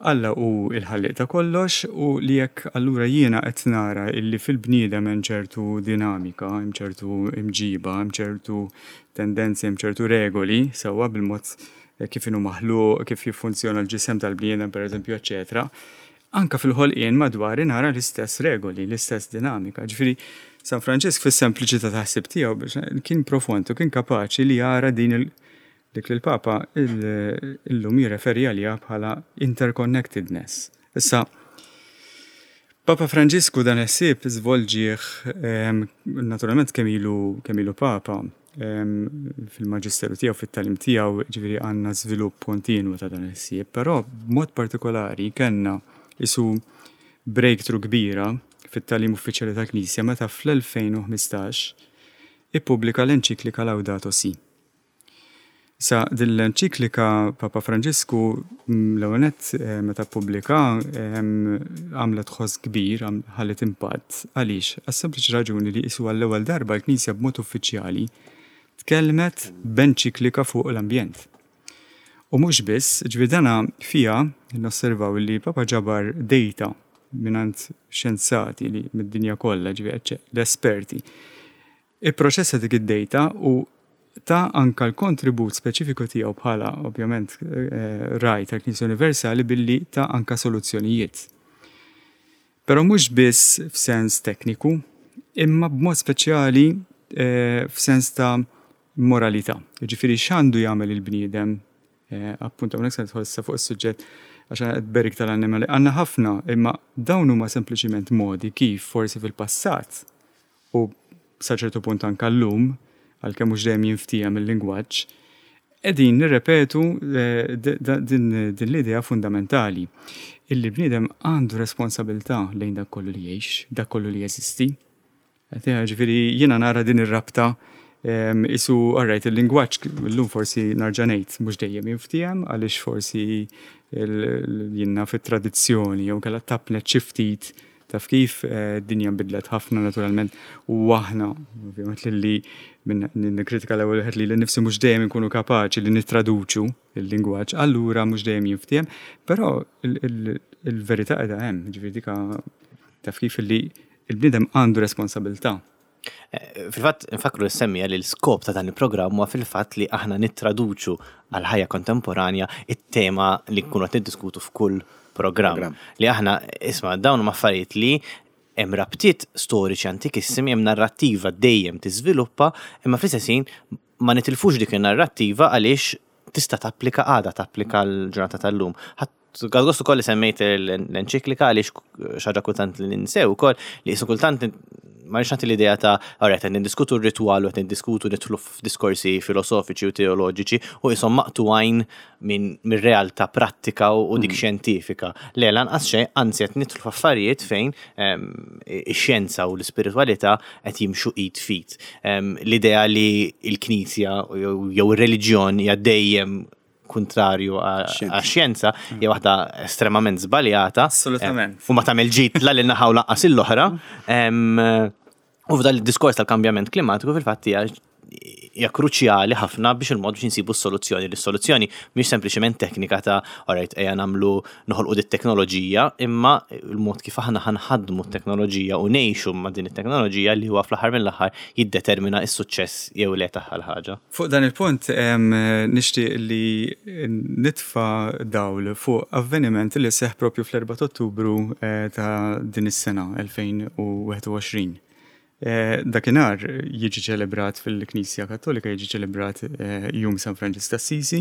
Alla hu il-ħallieq ta' kollox u li jekk allura jiena qed nara illi fil-bniedem hemm ċertu dinamika, hemm ċertu imġiba, hemm ċertu tendenzi, hemm ċertu regoli, sewwa bil-mod kif inhu maħluq, kif jiffunzjona l-ġisem tal-bniedem, pereżempju, eċċetera. Anka fil-ħolqien madwar nara l-istess regoli, l-istess dinamika. Ġifieri San Franġisk fis-sempliċità ta' ħsieb tiegħu biex kien profond u kien kapaċi li jara din il dik li l-Papa illum jirreferi għaliha bħala interconnectedness. Issa, Papa Franġisku dan il-ħsieb żvolġih naturalment kemm ilu kemm ilu Papa fil-maġisteru tiegħu, fit-tagħlim tiegħu, ġifieri għandna żvilupp kontinwu ta' dan il-ħsieb, però b'mod partikolari kellna isu breakthrough kbira fit-tagħlim uffiċjali tal-Knisja meta fl-elfejn u ħmistax ippubblika l-enċiklika Laudato Si. Sa din l-enċiklika Papa Franġisku l-ewwel nett, meta ppubblika, għamlet ħoss kbir, ħallet impatt. Għaliex? Għas-sempliċi raġuni li isu għall-ewwel darba l-Knisja b'mod uffiċjali tkellmet b'enċiklika fuq l-ambjent. U mhux biss, ġifieri dana fiha nosservaw li Papa ġabar data mingħand xjenzati li mid-dinja kollha, ġifieri l-esperti. Ipproċessa dik id-data u ta anka l-kontribut speċifiku tiegħu bħala ovvjament ragħaj tal-Knisja Universali billi ta anka soluzzjonijiet. Però mhux biss f'sens tekniku, imma b'mod speċjali f'sens ta' moralità. Ġifieri x'għandu jagħmel il-bniedem, appunto hawnhekk se nidħol issa fuq is-suġġett għax qed berik tal-annimali. Għandna ħafna, imma dawn huma sempliċiment modi kif forsi fil-passat u sa ċertu punt anka llum, għalkemm mhux dejjem jinftiehem il-lingwaġġ, qegħdin nirrepetu din l-idea fundamentali illi bniedem għandu responsabilità lejn dak kollu li jgħix, dak kollu li jeżisti. Ġifieri jiena nara din ir-rabta isu, alright, il-lingwaġġ illum forsi nerġa' ngħid mhux dejjem jinftiehem għaliex forsi jiena fit-tradizzjoni jew kellha tapnet xi ftit, taf kif id-dinja nbidlet ħafna naturalment u aħna ovvjament li minn nikkritika l-ewwel wieħed li nnifsi mhux dejjem inkunu kapaċi li nittraduċu il-lingwaġġ, allura mhux dejjem jinftiehem, però il-verità qiegħda hemm, ġifieri dika taf kif li il-bniedem għandu responsabilità. Fil-fatt, nfakru l-semmija li l-skop ta' dan il-programm huwa fil-fatt li aħna nittraduċu għal ħajja kontemporanja it-tema li nkunu qed niddiskutu f'kull programm. Li aħna, isma', dawn huma affarijiet li hemm rabtiet storiċi antikissimi, hemm narrattiva dejjem tiżviluppa, imma fl-istess ħin ma nitilfux dik in-narrattiva għaliex tista' tapplika għada, tapplika l-ġurnata tal-lum. Għal-gost ukoll li semmejt l-enċiklika għaliex xi ħaġa kultant li ninsew ukoll li jisu kultant ma rridx nagħti l-idea ta' ora qed niddiskutu r-ritwal u qed niddiskutu nidħlu f'diskorsi filosofiċi u teoloġiċi u qishom maqtugħin minn mir-realtà prattika u dik xjentifika. Le, lanqas xejn, anzi qed nidħlu f'affarijiet fejn ix-xjenza u l-ispiritwalità qed jimxu id f'id. L-idea li l-Knisja jew ir-reliġjon hija dejjem kontrarju għax-xjenza hija waħda estremament żbaljata. Assolutament. U ma tagħmel ġid la lil naħa u lanqas l-oħra. U f'dan id-diskors tal-kambjament klimatiku fil-fatt hija hija kruċjali ħafna biex il-mod biex insibu s-soluzzjoni. L-soluzzjoni mhix sempliċement teknika ta' alright, ejja nagħmlu, noħolqu dit teknoloġija, imma il-mod kif aħna ħa nħaddmu t-teknoloġija u ngħixu ma' din it-teknoloġija li huwa fl-aħħar mill-aħħar jiddetermina s-suċċess jew le tagħha l-ħaġa. Fuq dan il-punt em, nixtieq li nitfa' dawl fuq avveniment li seħ propju fl-erbgħa ta' Ottubru eh, ta' din is-sena elfejn u wieħed u għoxrin. Eh, Dakinhar jiġi ċelebrat fil-Knisja Kattolika, jiġi ċelebrat eh, Jum San Franġisk t'Assisi.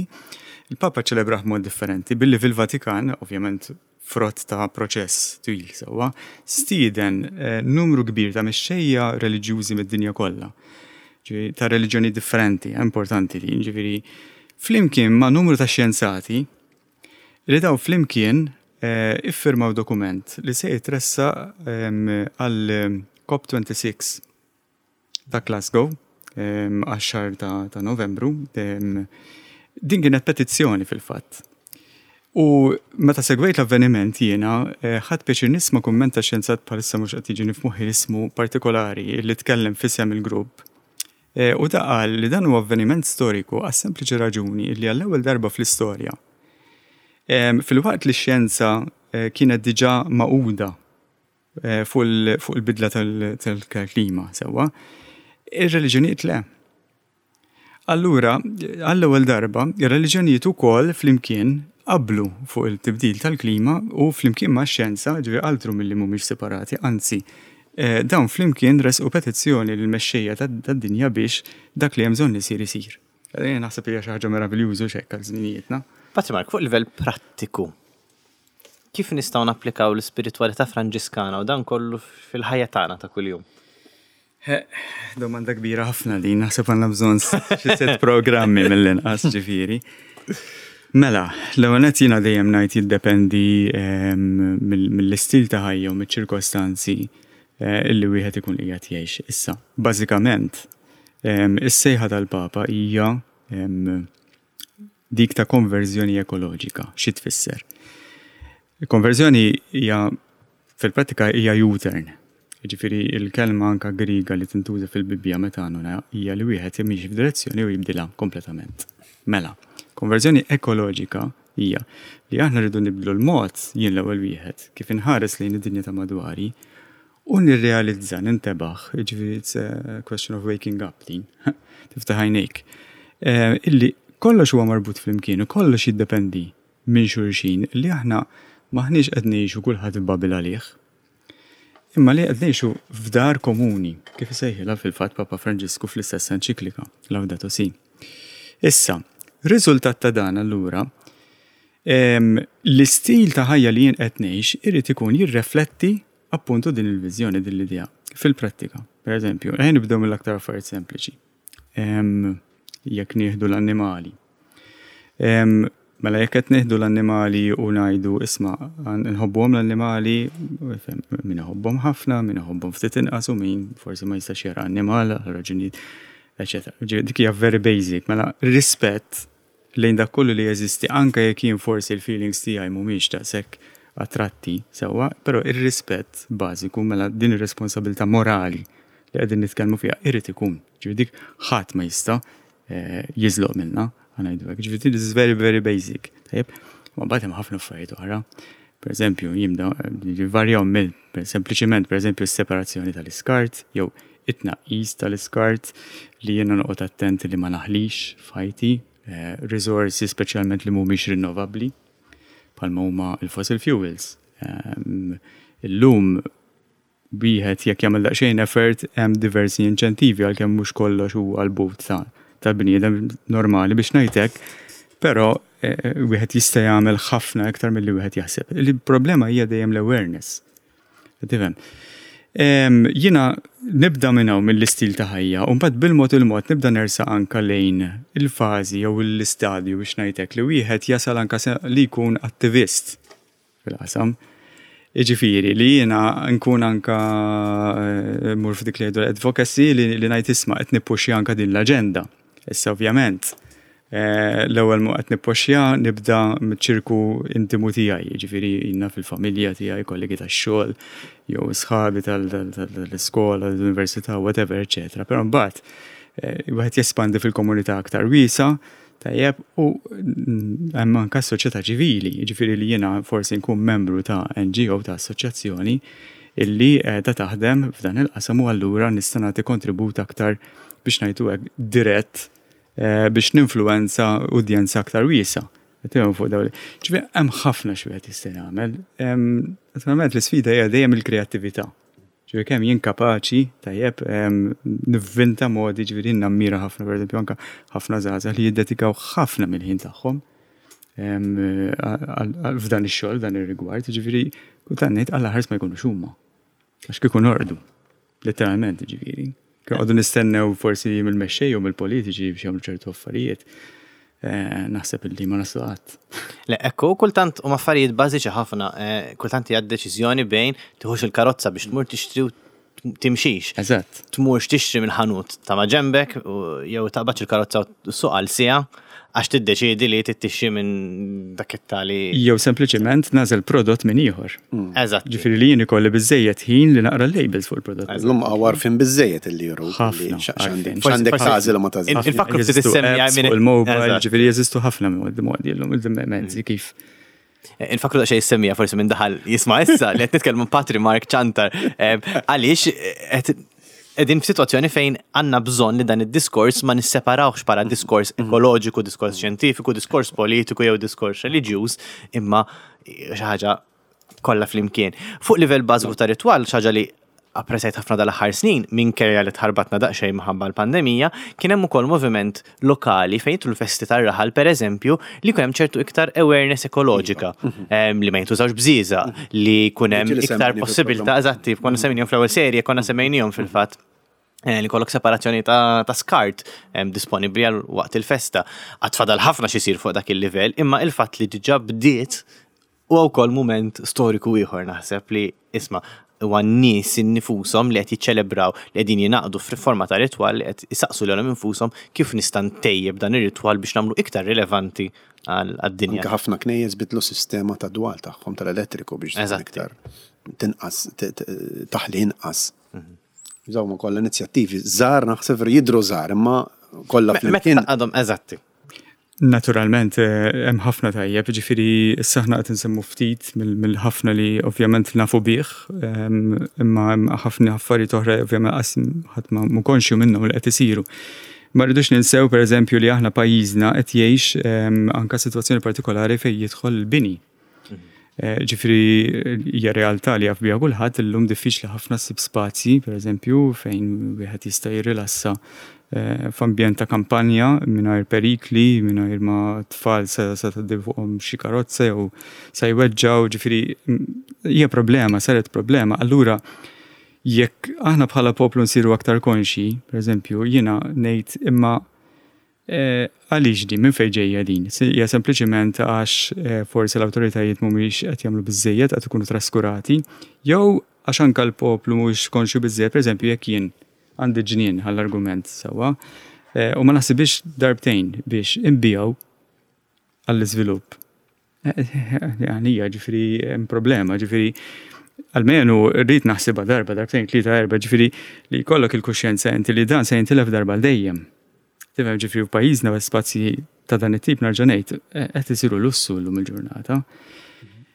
Il-Papa ċelebrah mod differenti billi fil-Vatikan, ovvjament frott ta' proċess twil sewwa, stieden eh, numru kbir ta' mexxejja reliġjużi mid-dinja kollha. Ġifieri, ta' reliġjoni differenti, importanti din, ġifieri, flimkien ma' numru ta' xjenzati li daw flimkien eh, iffirmaw dokument li se jitressaq em, għal COP twenty-six ta' Glasgow em, għax-xahar ta', ta' Novembru. Em, din kienet petizzjoni fil-fatt. U meta segwejt l-avveniment jiena, eh, ħadt pjaċir nisma' kumment ta' xjenzat, bħalissa mhux qed jiġini f'moħħi ismu partikolari, li tkellem f'isem il-grupp. Eh, U da qal li dan huwa avveniment storiku għas sempliċi raġuni li għall-ewwel darba fl-istorja, em, Filwaqt li x-xjenza eh, kienet diġà magħquda eh, fuq il- fuq il-bidla tal- tal-klima sewwa, ir-reliġjonijiet le. Allura, għall-ewwel darba, ir-reliġjonijiet ukoll flimkien qablu fuq il-tibdil tal-klima u flimkien ma' xjenza, ġifieri altru milli mhumiex separati, anzi, eh, dawn flimkien resqu petizzjoni lill-mexxejja tad-dinja biex dak li hemm bżonn isir isir. Eh, Naħseb hija xi ħaġa meraviljużu x'hekk għal żminijietna. Patri Mark, fuq livell prattiku, kif nistgħu napplikaw l-ispiritwalità Franġiskana u dan kollu fil-ħajja tagħna ta' kuljum? Domanda kbira ħafna din, naħseb għandna bżonn xi sitt programmi mill-inqas, ġifieri. Mela, l-ewwel nett jiena dejjem ngħid jiddependi ehm, mill- mill-istil ta' ħajja u miċ-ċirkostanzi eh, illi wieħed ikun qiegħed jgħix. Issa, bażikament, ehm, is-sejħa tal-Papa hija ehm, dik ta' konverżjoni ekoloġika. Xi tfisser? Il-konverżjoni hija fil-prattika hija U-turn. Ġifieri il-kelma anka Griega li tintuża fil-Bibbja metanoia hija li wieħed jimxi f'direzzjoni u jibdilha kompletament. Mela, konverżjoni ekoloġika hija li aħna rridu nibdlu l-mod, jien l-ewwel wieħed, kif inħares lejn id-dinja ta' madwari u nirrealizza, nintebaħ, ġifieri it's a question of waking up din, tiftaħ għajnejk, eh, illi kollox huwa marbut flimkien u kollox jiddependi minn xulxin, li aħna maħniex qed ngħixu kulħadd f'bubble għalih. Imma li qed ngħixu f'dar komuni, kif isejħilha fil-fatt Papa Franġisku fl-istess enċiklika, Laudato Si. Issa, riżultat ta' dan allura, em, l-istil ta' ħajja li jien qed ngħix irid ikun jirrefletti appuntu din il-viżjoni, din l-idea fil-prattika. Per eżempju, ejja nibdew mill-aktar affarijiet sempliċi. Em, Jekk nieħdu l-annimali. Em, Mela jekk qed nieħdu l-annimali u ngħidu, isma', nħobbuhom l-annimali, min iħobbhom ħafna, min iħobbhom ftit inqas u min forsi ma jistax jara annimal għal raġunijiet, eċetera. Ġifieri dik hija very basic, mela rispett lejn dak kollu li jeżisti, anke jekk jien forsi l-feelings tiegħi mhumiex daqshekk attratti sewwa, però ir-rispett bażiku, mela din ir-responsabilità morali li qegħdin nitkellmu fiha irid ikun. Ġifieri dik ħadd ma jista' eh, jiżloq minna, ħa ngħidu hekk. Ġifieri this is very very basic. Tajjeb, ma mbagħad hemm ħafna affarijiet oħra. Per eżempju, jimda varjaw mill per sempliċiment, per eżempju, s-separazzjoni tal-iskart jew it-tnaqqis tal-iskart, li jiena noqgħod attent li ma naħlix f'ħajti eh, risorsi speċjalment li mhumiex rinnovabbli bħalma huma il-fossil fuels. Ehm, Illum wieħed jekk jagħmel daqsxejn effort hemm diversi inċentivi, għalkemm mhux kollox huwa l-but ta' tal-bniedem normali biex ngħidlek, però eh, wieħed jista' jagħmel ħafna iktar milli wieħed jaħseb. Il-problema hija dejjem l-awareness. Tifhem? Em, Jiena nibda minn hawn, mill-istil ta' ħajja, u mbagħad bil-mod il-mod nibda nersaq anka lejn il-fażi jew l-istadju biex ngħidlek li wieħed jasal anka se- li jkun attivist fil-qasam. Iġifieri li jiena nkun anka eh, mur f'dik li jgħidu advocacy, li, li ngħid, isma', qed nippuxja anka din l-aġenda. Issa ovvjament eh, l-ewwel mu qed nippuxja nibda miċ-ċirku intimu tiegħi, jiġifieri jiena fil-familja tiegħi, kollegi tax-xogħol, jew sħabi tal-iskola, l-università, whatever, eċetera. Però mbagħad eh, wieħed jespandi fil-komunità aktar wiesa', tajjeb, u mm, hemm anke s-soċjetà ċivili, jiġifieri li jiena forsi nkun membru ta' N G O, ta' assoċjazzjoni illi qiegħda taħdem f'dan il-qasam u allura nista' nagħti kontribut aktar, biex ngħidu hekk, dirett eh, biex ninfluenza udjenza aktar wiesa'. Qed fuq dawn. Ġifieri hemm ħafna xi wieħed jista' jagħmel. Em, Naturalment l-isfida hija dejjem il-kreattività. Ġifieri kemm jien kapaċi, tajjeb, em, nivvinta modi. Ġifieri nammira ħafna, pereżempju, anke ħafna żgħażagħ li jiddedikaw ħafna mill-ħin tagħhom em, għal- għal- f'dan ix-xogħol, dan ir-rigward, ġifieri kultant ngħid Alla ħares ma jkunux huma. Għax kieku norqdu, letteralment ġifieri. Għadu nistennew forsi mill-mexxej u mill-politiċi biex jagħmlu ċertu affarijiet. Eh, Naħseb illi ma naslu qatt. Le, ekku, kultant u affarijiet bażiċi ħafna, eh, kultant hija deċiżjoni bejn tiħux il-karozza biex tmur tixtri u timxix. Eżatt. Tmurx tixtri mill-ħanut ta' ma ġembek u jew taqbadx il-karozza u ssuq għal siegħa għax tiddeċiedi li tixtri minn dak it-tali. Jew sempliċement nagħżel prodott minn ieħor. Eżatt. Ġifieri li jien ikolli biżejjed ħin li naqra l-labels fuq il-prodott. Illum għarfien biżżejjed illi juru. Ħafna, għarfien. X'għandek Forsi- tagħżel u ma tagħżel. Il- Infakru ftit Jeżistu issemmi apps minn- fuq il-mobile, Eżatt. ġifieri jeżistu ħafna modi modi llum, il-mezzi kif. Infakru daqsxejn semmija forsi minn daħal jisma' issa li qed nitkellmu Patri Mark Ciantar eh, għaliex qed qegħdin f'sitwazzjoni fejn għandna bżonn li dan id-diskors ma nisseparawx bħala diskors ekoloġiku, diskors xjentifiku, diskors politiku jew diskors reliġjuż, imma xi ħaġa kollha flimkien. Fuq livell bażiku ta' ritwal, xi ħaġa li apprezzajt ħafna dal-aħħar snin, minkejja li tħarbatna daqsxejn minħabba l-pandemija, kien hemm ukoll moviment lokali fejn jidħlu festi tar-raħal, pereżempju, li jkun hemm ċertu iktar awareness ekoloġika, em, li ma jintużawx bżieżaq, li jkun hemm Ġieli iktar semmejni possibilità, fil-programm. Eżatti, konna semmejnihom fl-ewwel serje, konna semmejnihom fil-fatt eh, li jkollok separazzjoni ta', ta skart em, disponibli għal waqt il-festa. Għad fadal ħafna xisir fuq dak il-livell, imma il-fatt li diġà bdiet u wkoll moment storiku ieħor, naħseb li isma' huwa n-nies innifushom li qed jiċċelebraw, li qegħdin jingħaqdu f'forma ta' ritwal, li qed isaqsu lilhom infushom kif nista' ntejjeb dan ir-ritwal biex nagħmlu iktar rilevanti għal- għad-dinja. Anke ħafna knejjes bidlu sistema ta' dwal tagħhom tal-elettriku biex tkun Eżatti. iktar tinqas t- t- taħli inqas. Dawn ma kollha inizjattivi żgħar, naħseb jidru żgħar, imma kollha Meta flimkien. taqadhom, eżatti. Naturalment, eh, hemm ħafna tajjeb, ġifieri issa aħna qed insemmu ftit mill- mill-ħafna li ovvjament nafu bih, em, imma hemm ħafna affarijiet oħra ovvjament qas ħadd ma mhu konxju minnhom li qed isiru. Ma rridux ninsew, pereżempju, li aħna pajjiżna qed jgħix em, anka sitwazzjoni partikolari fejn jidħol il-bini. Eh, Ġifieri hija realtà li jaf biha kulħadd, illum diffiċli ħafna ssib spazji, pereżempju, fejn wieħed jista' jirrilassa eh, f'ambjent ta' kampanja mingħajr perikli, mingħajr ma tfal sa sa tgħaddi fuqhom xi karozza jew sa jweġġaw, ġifieri mm, hija problema, saret problema. Allura jekk aħna bħala poplu nsiru aktar konxi, pereżempju, jiena ngħid imma eh, għaliex din, minn fejn ġejja din? Se- Hija sempliċiment għax eh, forsi l-awtoritajiet mhumiex qed jagħmlu biżejjed, qed ikunu traskurati, jew għax anke l-poplu mhuwiex konxju biżejjed? Pereżempju, jekk jien għandi ġnien għall-argument sewwa, eh, u ma naħsibx darbtejn biex inbigħu għall-iżvilupp. Għalija ġifieri hemm problema, ġifieri almenu rrid naħsibha darba, darbtejn, tlieta, erba', ġifieri li jkollok il-kuxjenza inti li dan se jintilef darba għal dejjem. Tifhem, ġifieri f'pajjiżna spazji ta' dan it-tip, nerġa' ngħid, eh, qed isiru lussu llum il-ġurnata.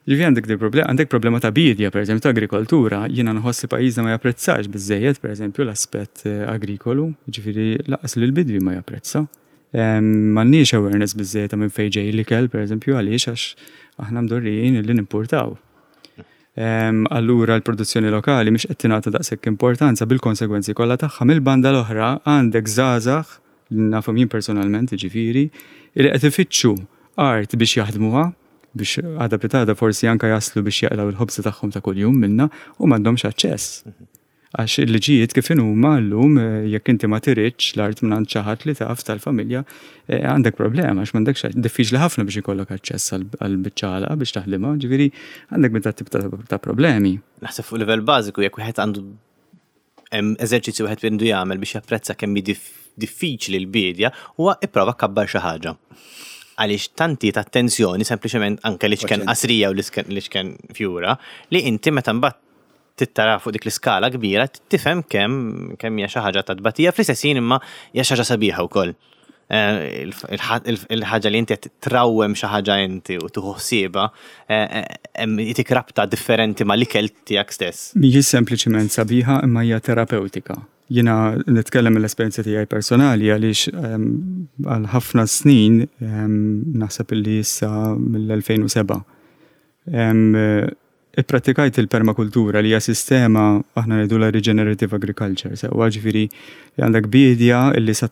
Ġifieri għandek di problema, għandek problema ta' bidja, per eżempju, ta' agrikoltura, jiena nħoss li pajjiżna ma japprezzax biżejjed, per eżempju, l-aspett eh, agrikolu, ġifieri lanqas li l-bidwi ma japprezza. Em, M'għandniex awareness biżejjed ta' minn fejn ġej l-ikel, per eżempju, għaliex għax aħna mdorrijin li nimportaw. Em, Allura l-produzzjoni lokali mhix qed tingħata daqshekk importanza bil-konsegwenzi kollha tagħha. Mill-banda l-oħra għandek żgħażagħ li nafhom jien personalment, ġifieri, li qed ifittxu art biex jaħdmuha, biex għada pitgħada forsi anka jaslu biex jaqlaw il-ħobza tagħhom ta' kuljum minna u m'għandhomx aċċess. Għax il-liġijiet kif huma llum, eh, jekk inti ma tiritx l-art minn xi ħadd li taf tal-familja, eh, għandek problema għax m'għandekx, diffiċli ħafna biex ikollok aċċess għal biċċa biex taħdimha, ġifieri għandek minn tip ta' ta' problemi. Naħseb fuq livell bażiku, jekk wieħed għandu hemm eżerċizzju wieħed għandu jagħmel biex japprezza kemm hi dif- diffiċli l-bidja, huwa ipprova kabbar xi ħaġa. Għaliex tanti ta' attenzjoni sempliċement anke li xken Paċenzja. qasrija u li xken- li xken fjura li inti meta mbagħad Tittara fuq dik l-iskala kbira, tifhem kemm kemm hija xi ħaġa ta' tbatija, fl-istess ħin imma hija xi ħaġa sabiħa wkoll. Eh, il-ħaġa li inti qed trawwem xi ħaġa inti u tieħu ħsiebha, eh, eh, jtik rabta differenti ma' l-ikel tiegħek stess. Mhijiex sempliċiment sabiħa, imma hija terapeutika. Jiena nitkellem mill-esperjenza tiegħi personali għaliex ehm, għal ħafna snin, ehm, naħseb illi issa mill-elfejn u sebgħa, ehm, ipprattikajt il-permakultura, li hija sistema, aħna ngħidu la regenerative agriculture, sewwa, ġifieri li għandek biedja illi sa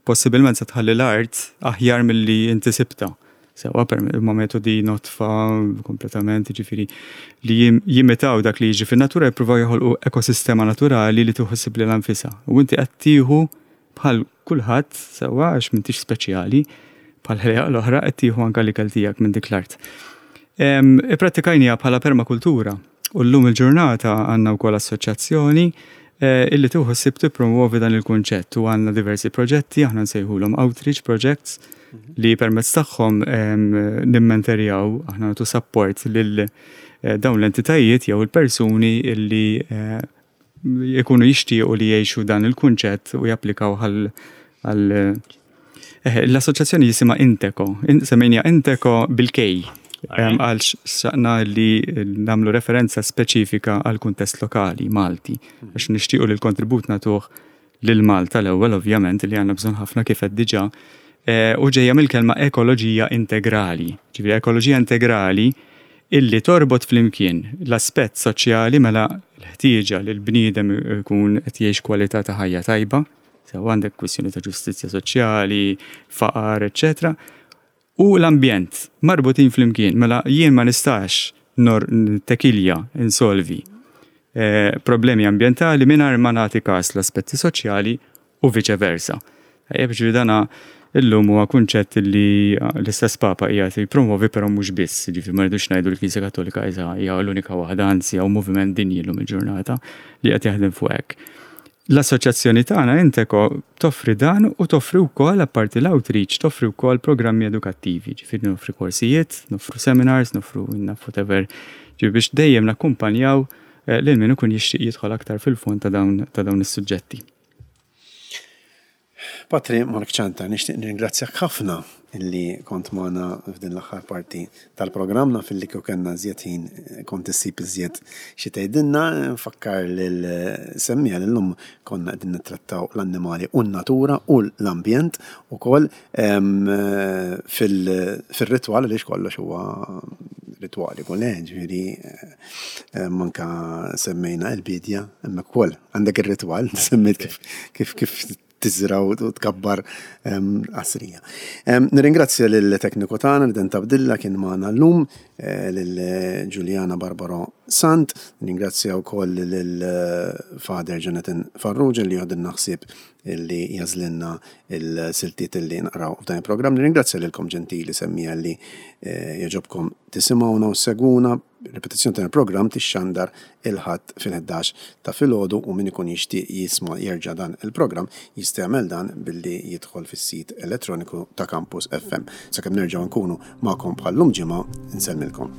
possibilment sa tħalli l-art aħjar milli inti sibta. Sewwa, per ma metodi nodfa kompletament, ġifieri li jim- jimitaw dak li jiġi fin-natura, jippruvaw joħolqu ekosistema naturali li tieħu ħsieb lilha nfisha. U inti qed tieħu bħal kulħadd, sewwa, għax m'intix speċjali, bħal ħlejjaq l-oħra qed tieħu anke l-ikel tiegħek minn dik l-art. Em, Ipprattikajniha bħala permakultura u llum il-ġurnata għandna wkoll assoċjazzjoni eh, illi tieħu ħsieb tippromuovi dan il-kunċett u għandna diversi proġetti, aħna nsejħulhom outreach projects, li permezz tagħhom em, nimmenterjaw, aħna nagħtu support lil eh, dawn l-entitajiet jew il-persuni illi eh, jkunu jixtiequ li jgħixu dan il-kunċett u japplikaw għal għal eh, l-assoċjazzjoni jisimha Inteco, In- semmejniha Inteco bil-K. Em, Għal xtaqna li nagħmlu referenza speċifika għal kuntest lokali, Malti, għax nixtiequ li l-kontribut nagħtuh lil Malta l-ewwel, ovvjament, li għandna bżonn ħafna kif qed diġà, eh, u ġejja mill-kelma ekoloġija integrali. Ġifieri ekoloġija integrali illi torbot flimkien l-aspett soċjali, mela l-ħtieġa li l-bniedem ikun qed jgħix kwalità ta' ħajja tajba, sew għandek kwistjoni ta' ġustizzja soċjali, faqar, eċċetera. U l-ambjent marbutin flimkien, mela jien ma nistax nor tekilja insolvi eh, problemi ambjentali mingħajr ma nagħti każ l-aspetti soċjali u vice versa. Tajjeb, ġifieri dana illum huwa kunċett li l-istess Papa qiegħed jippromovi, però mhux biss, ġifieri ma rridux ngħidu l-Knisja Kattolika iżda hija l-unika waħda, anzi hawn moviment dinji llum il-ġurnata li qed jaħdem fuq hekk. L-assoċjazzjoni tagħna Inteco toffri dan u toffri wkoll, apparti l-outreach, toffri wkoll programmi edukattivi, ġifieri noffri korsijiet, noffru seminars, noffru naf whatever, ġifieri biex dejjem nakkumpanjaw eh, lil min ikun jixtieq jidħol aktar fil-fond ta' dawn ta' dawn is-suġġetti. Patri Mark Ciantar, nixtieq nirringrazzjak ħafna illi kont magħna f'din l-aħħar parti tal-programm. Naf illi kieku kellna iżjed ħin eh, kont issib iżjed xi tgħidilna. Nfakkar lil semmiegħa li llum konna qegħdin nittrattaw l-annimali u n-natura u l-ambjent ukoll em, eh, fil- fil-ritwal, għaliex kollox huwa ritwali kull, ġifieri eh, manka semmejna il-bidja, hemmhekk ukoll għandek ir-ritwal, semmejt kif kif kif tiżra u tkabbar em, qasrija. Em, Nirringrazzja lill-tekniku tagħna li Abdilla kien magħna llum, eh, lil Giuliana Barbaro Sant, nirringrazzja wkoll lil Father Jonathan Farrugia li joħdilna ħsieb illi jagħżlilna il-siltiet illi naqraw f'dan il-programm. Nirringrazzja lilkom, ġentili semmiegħa, li eh, jogħġobkom tisimgħuna u ssegwuna. Ripetizzjoni tal-programm tixxandar il-Ħadd fil-ħdax ta' filgħodu u min ikun jixtieq jisma' jerġa' dan il-programm jista' jagħmel dan billi jidħol fis-sit elettroniku ta' Campus F M. Sakemm nerġgħu nkunu magħkom bħal-lum ġimgħa, insellmilkom.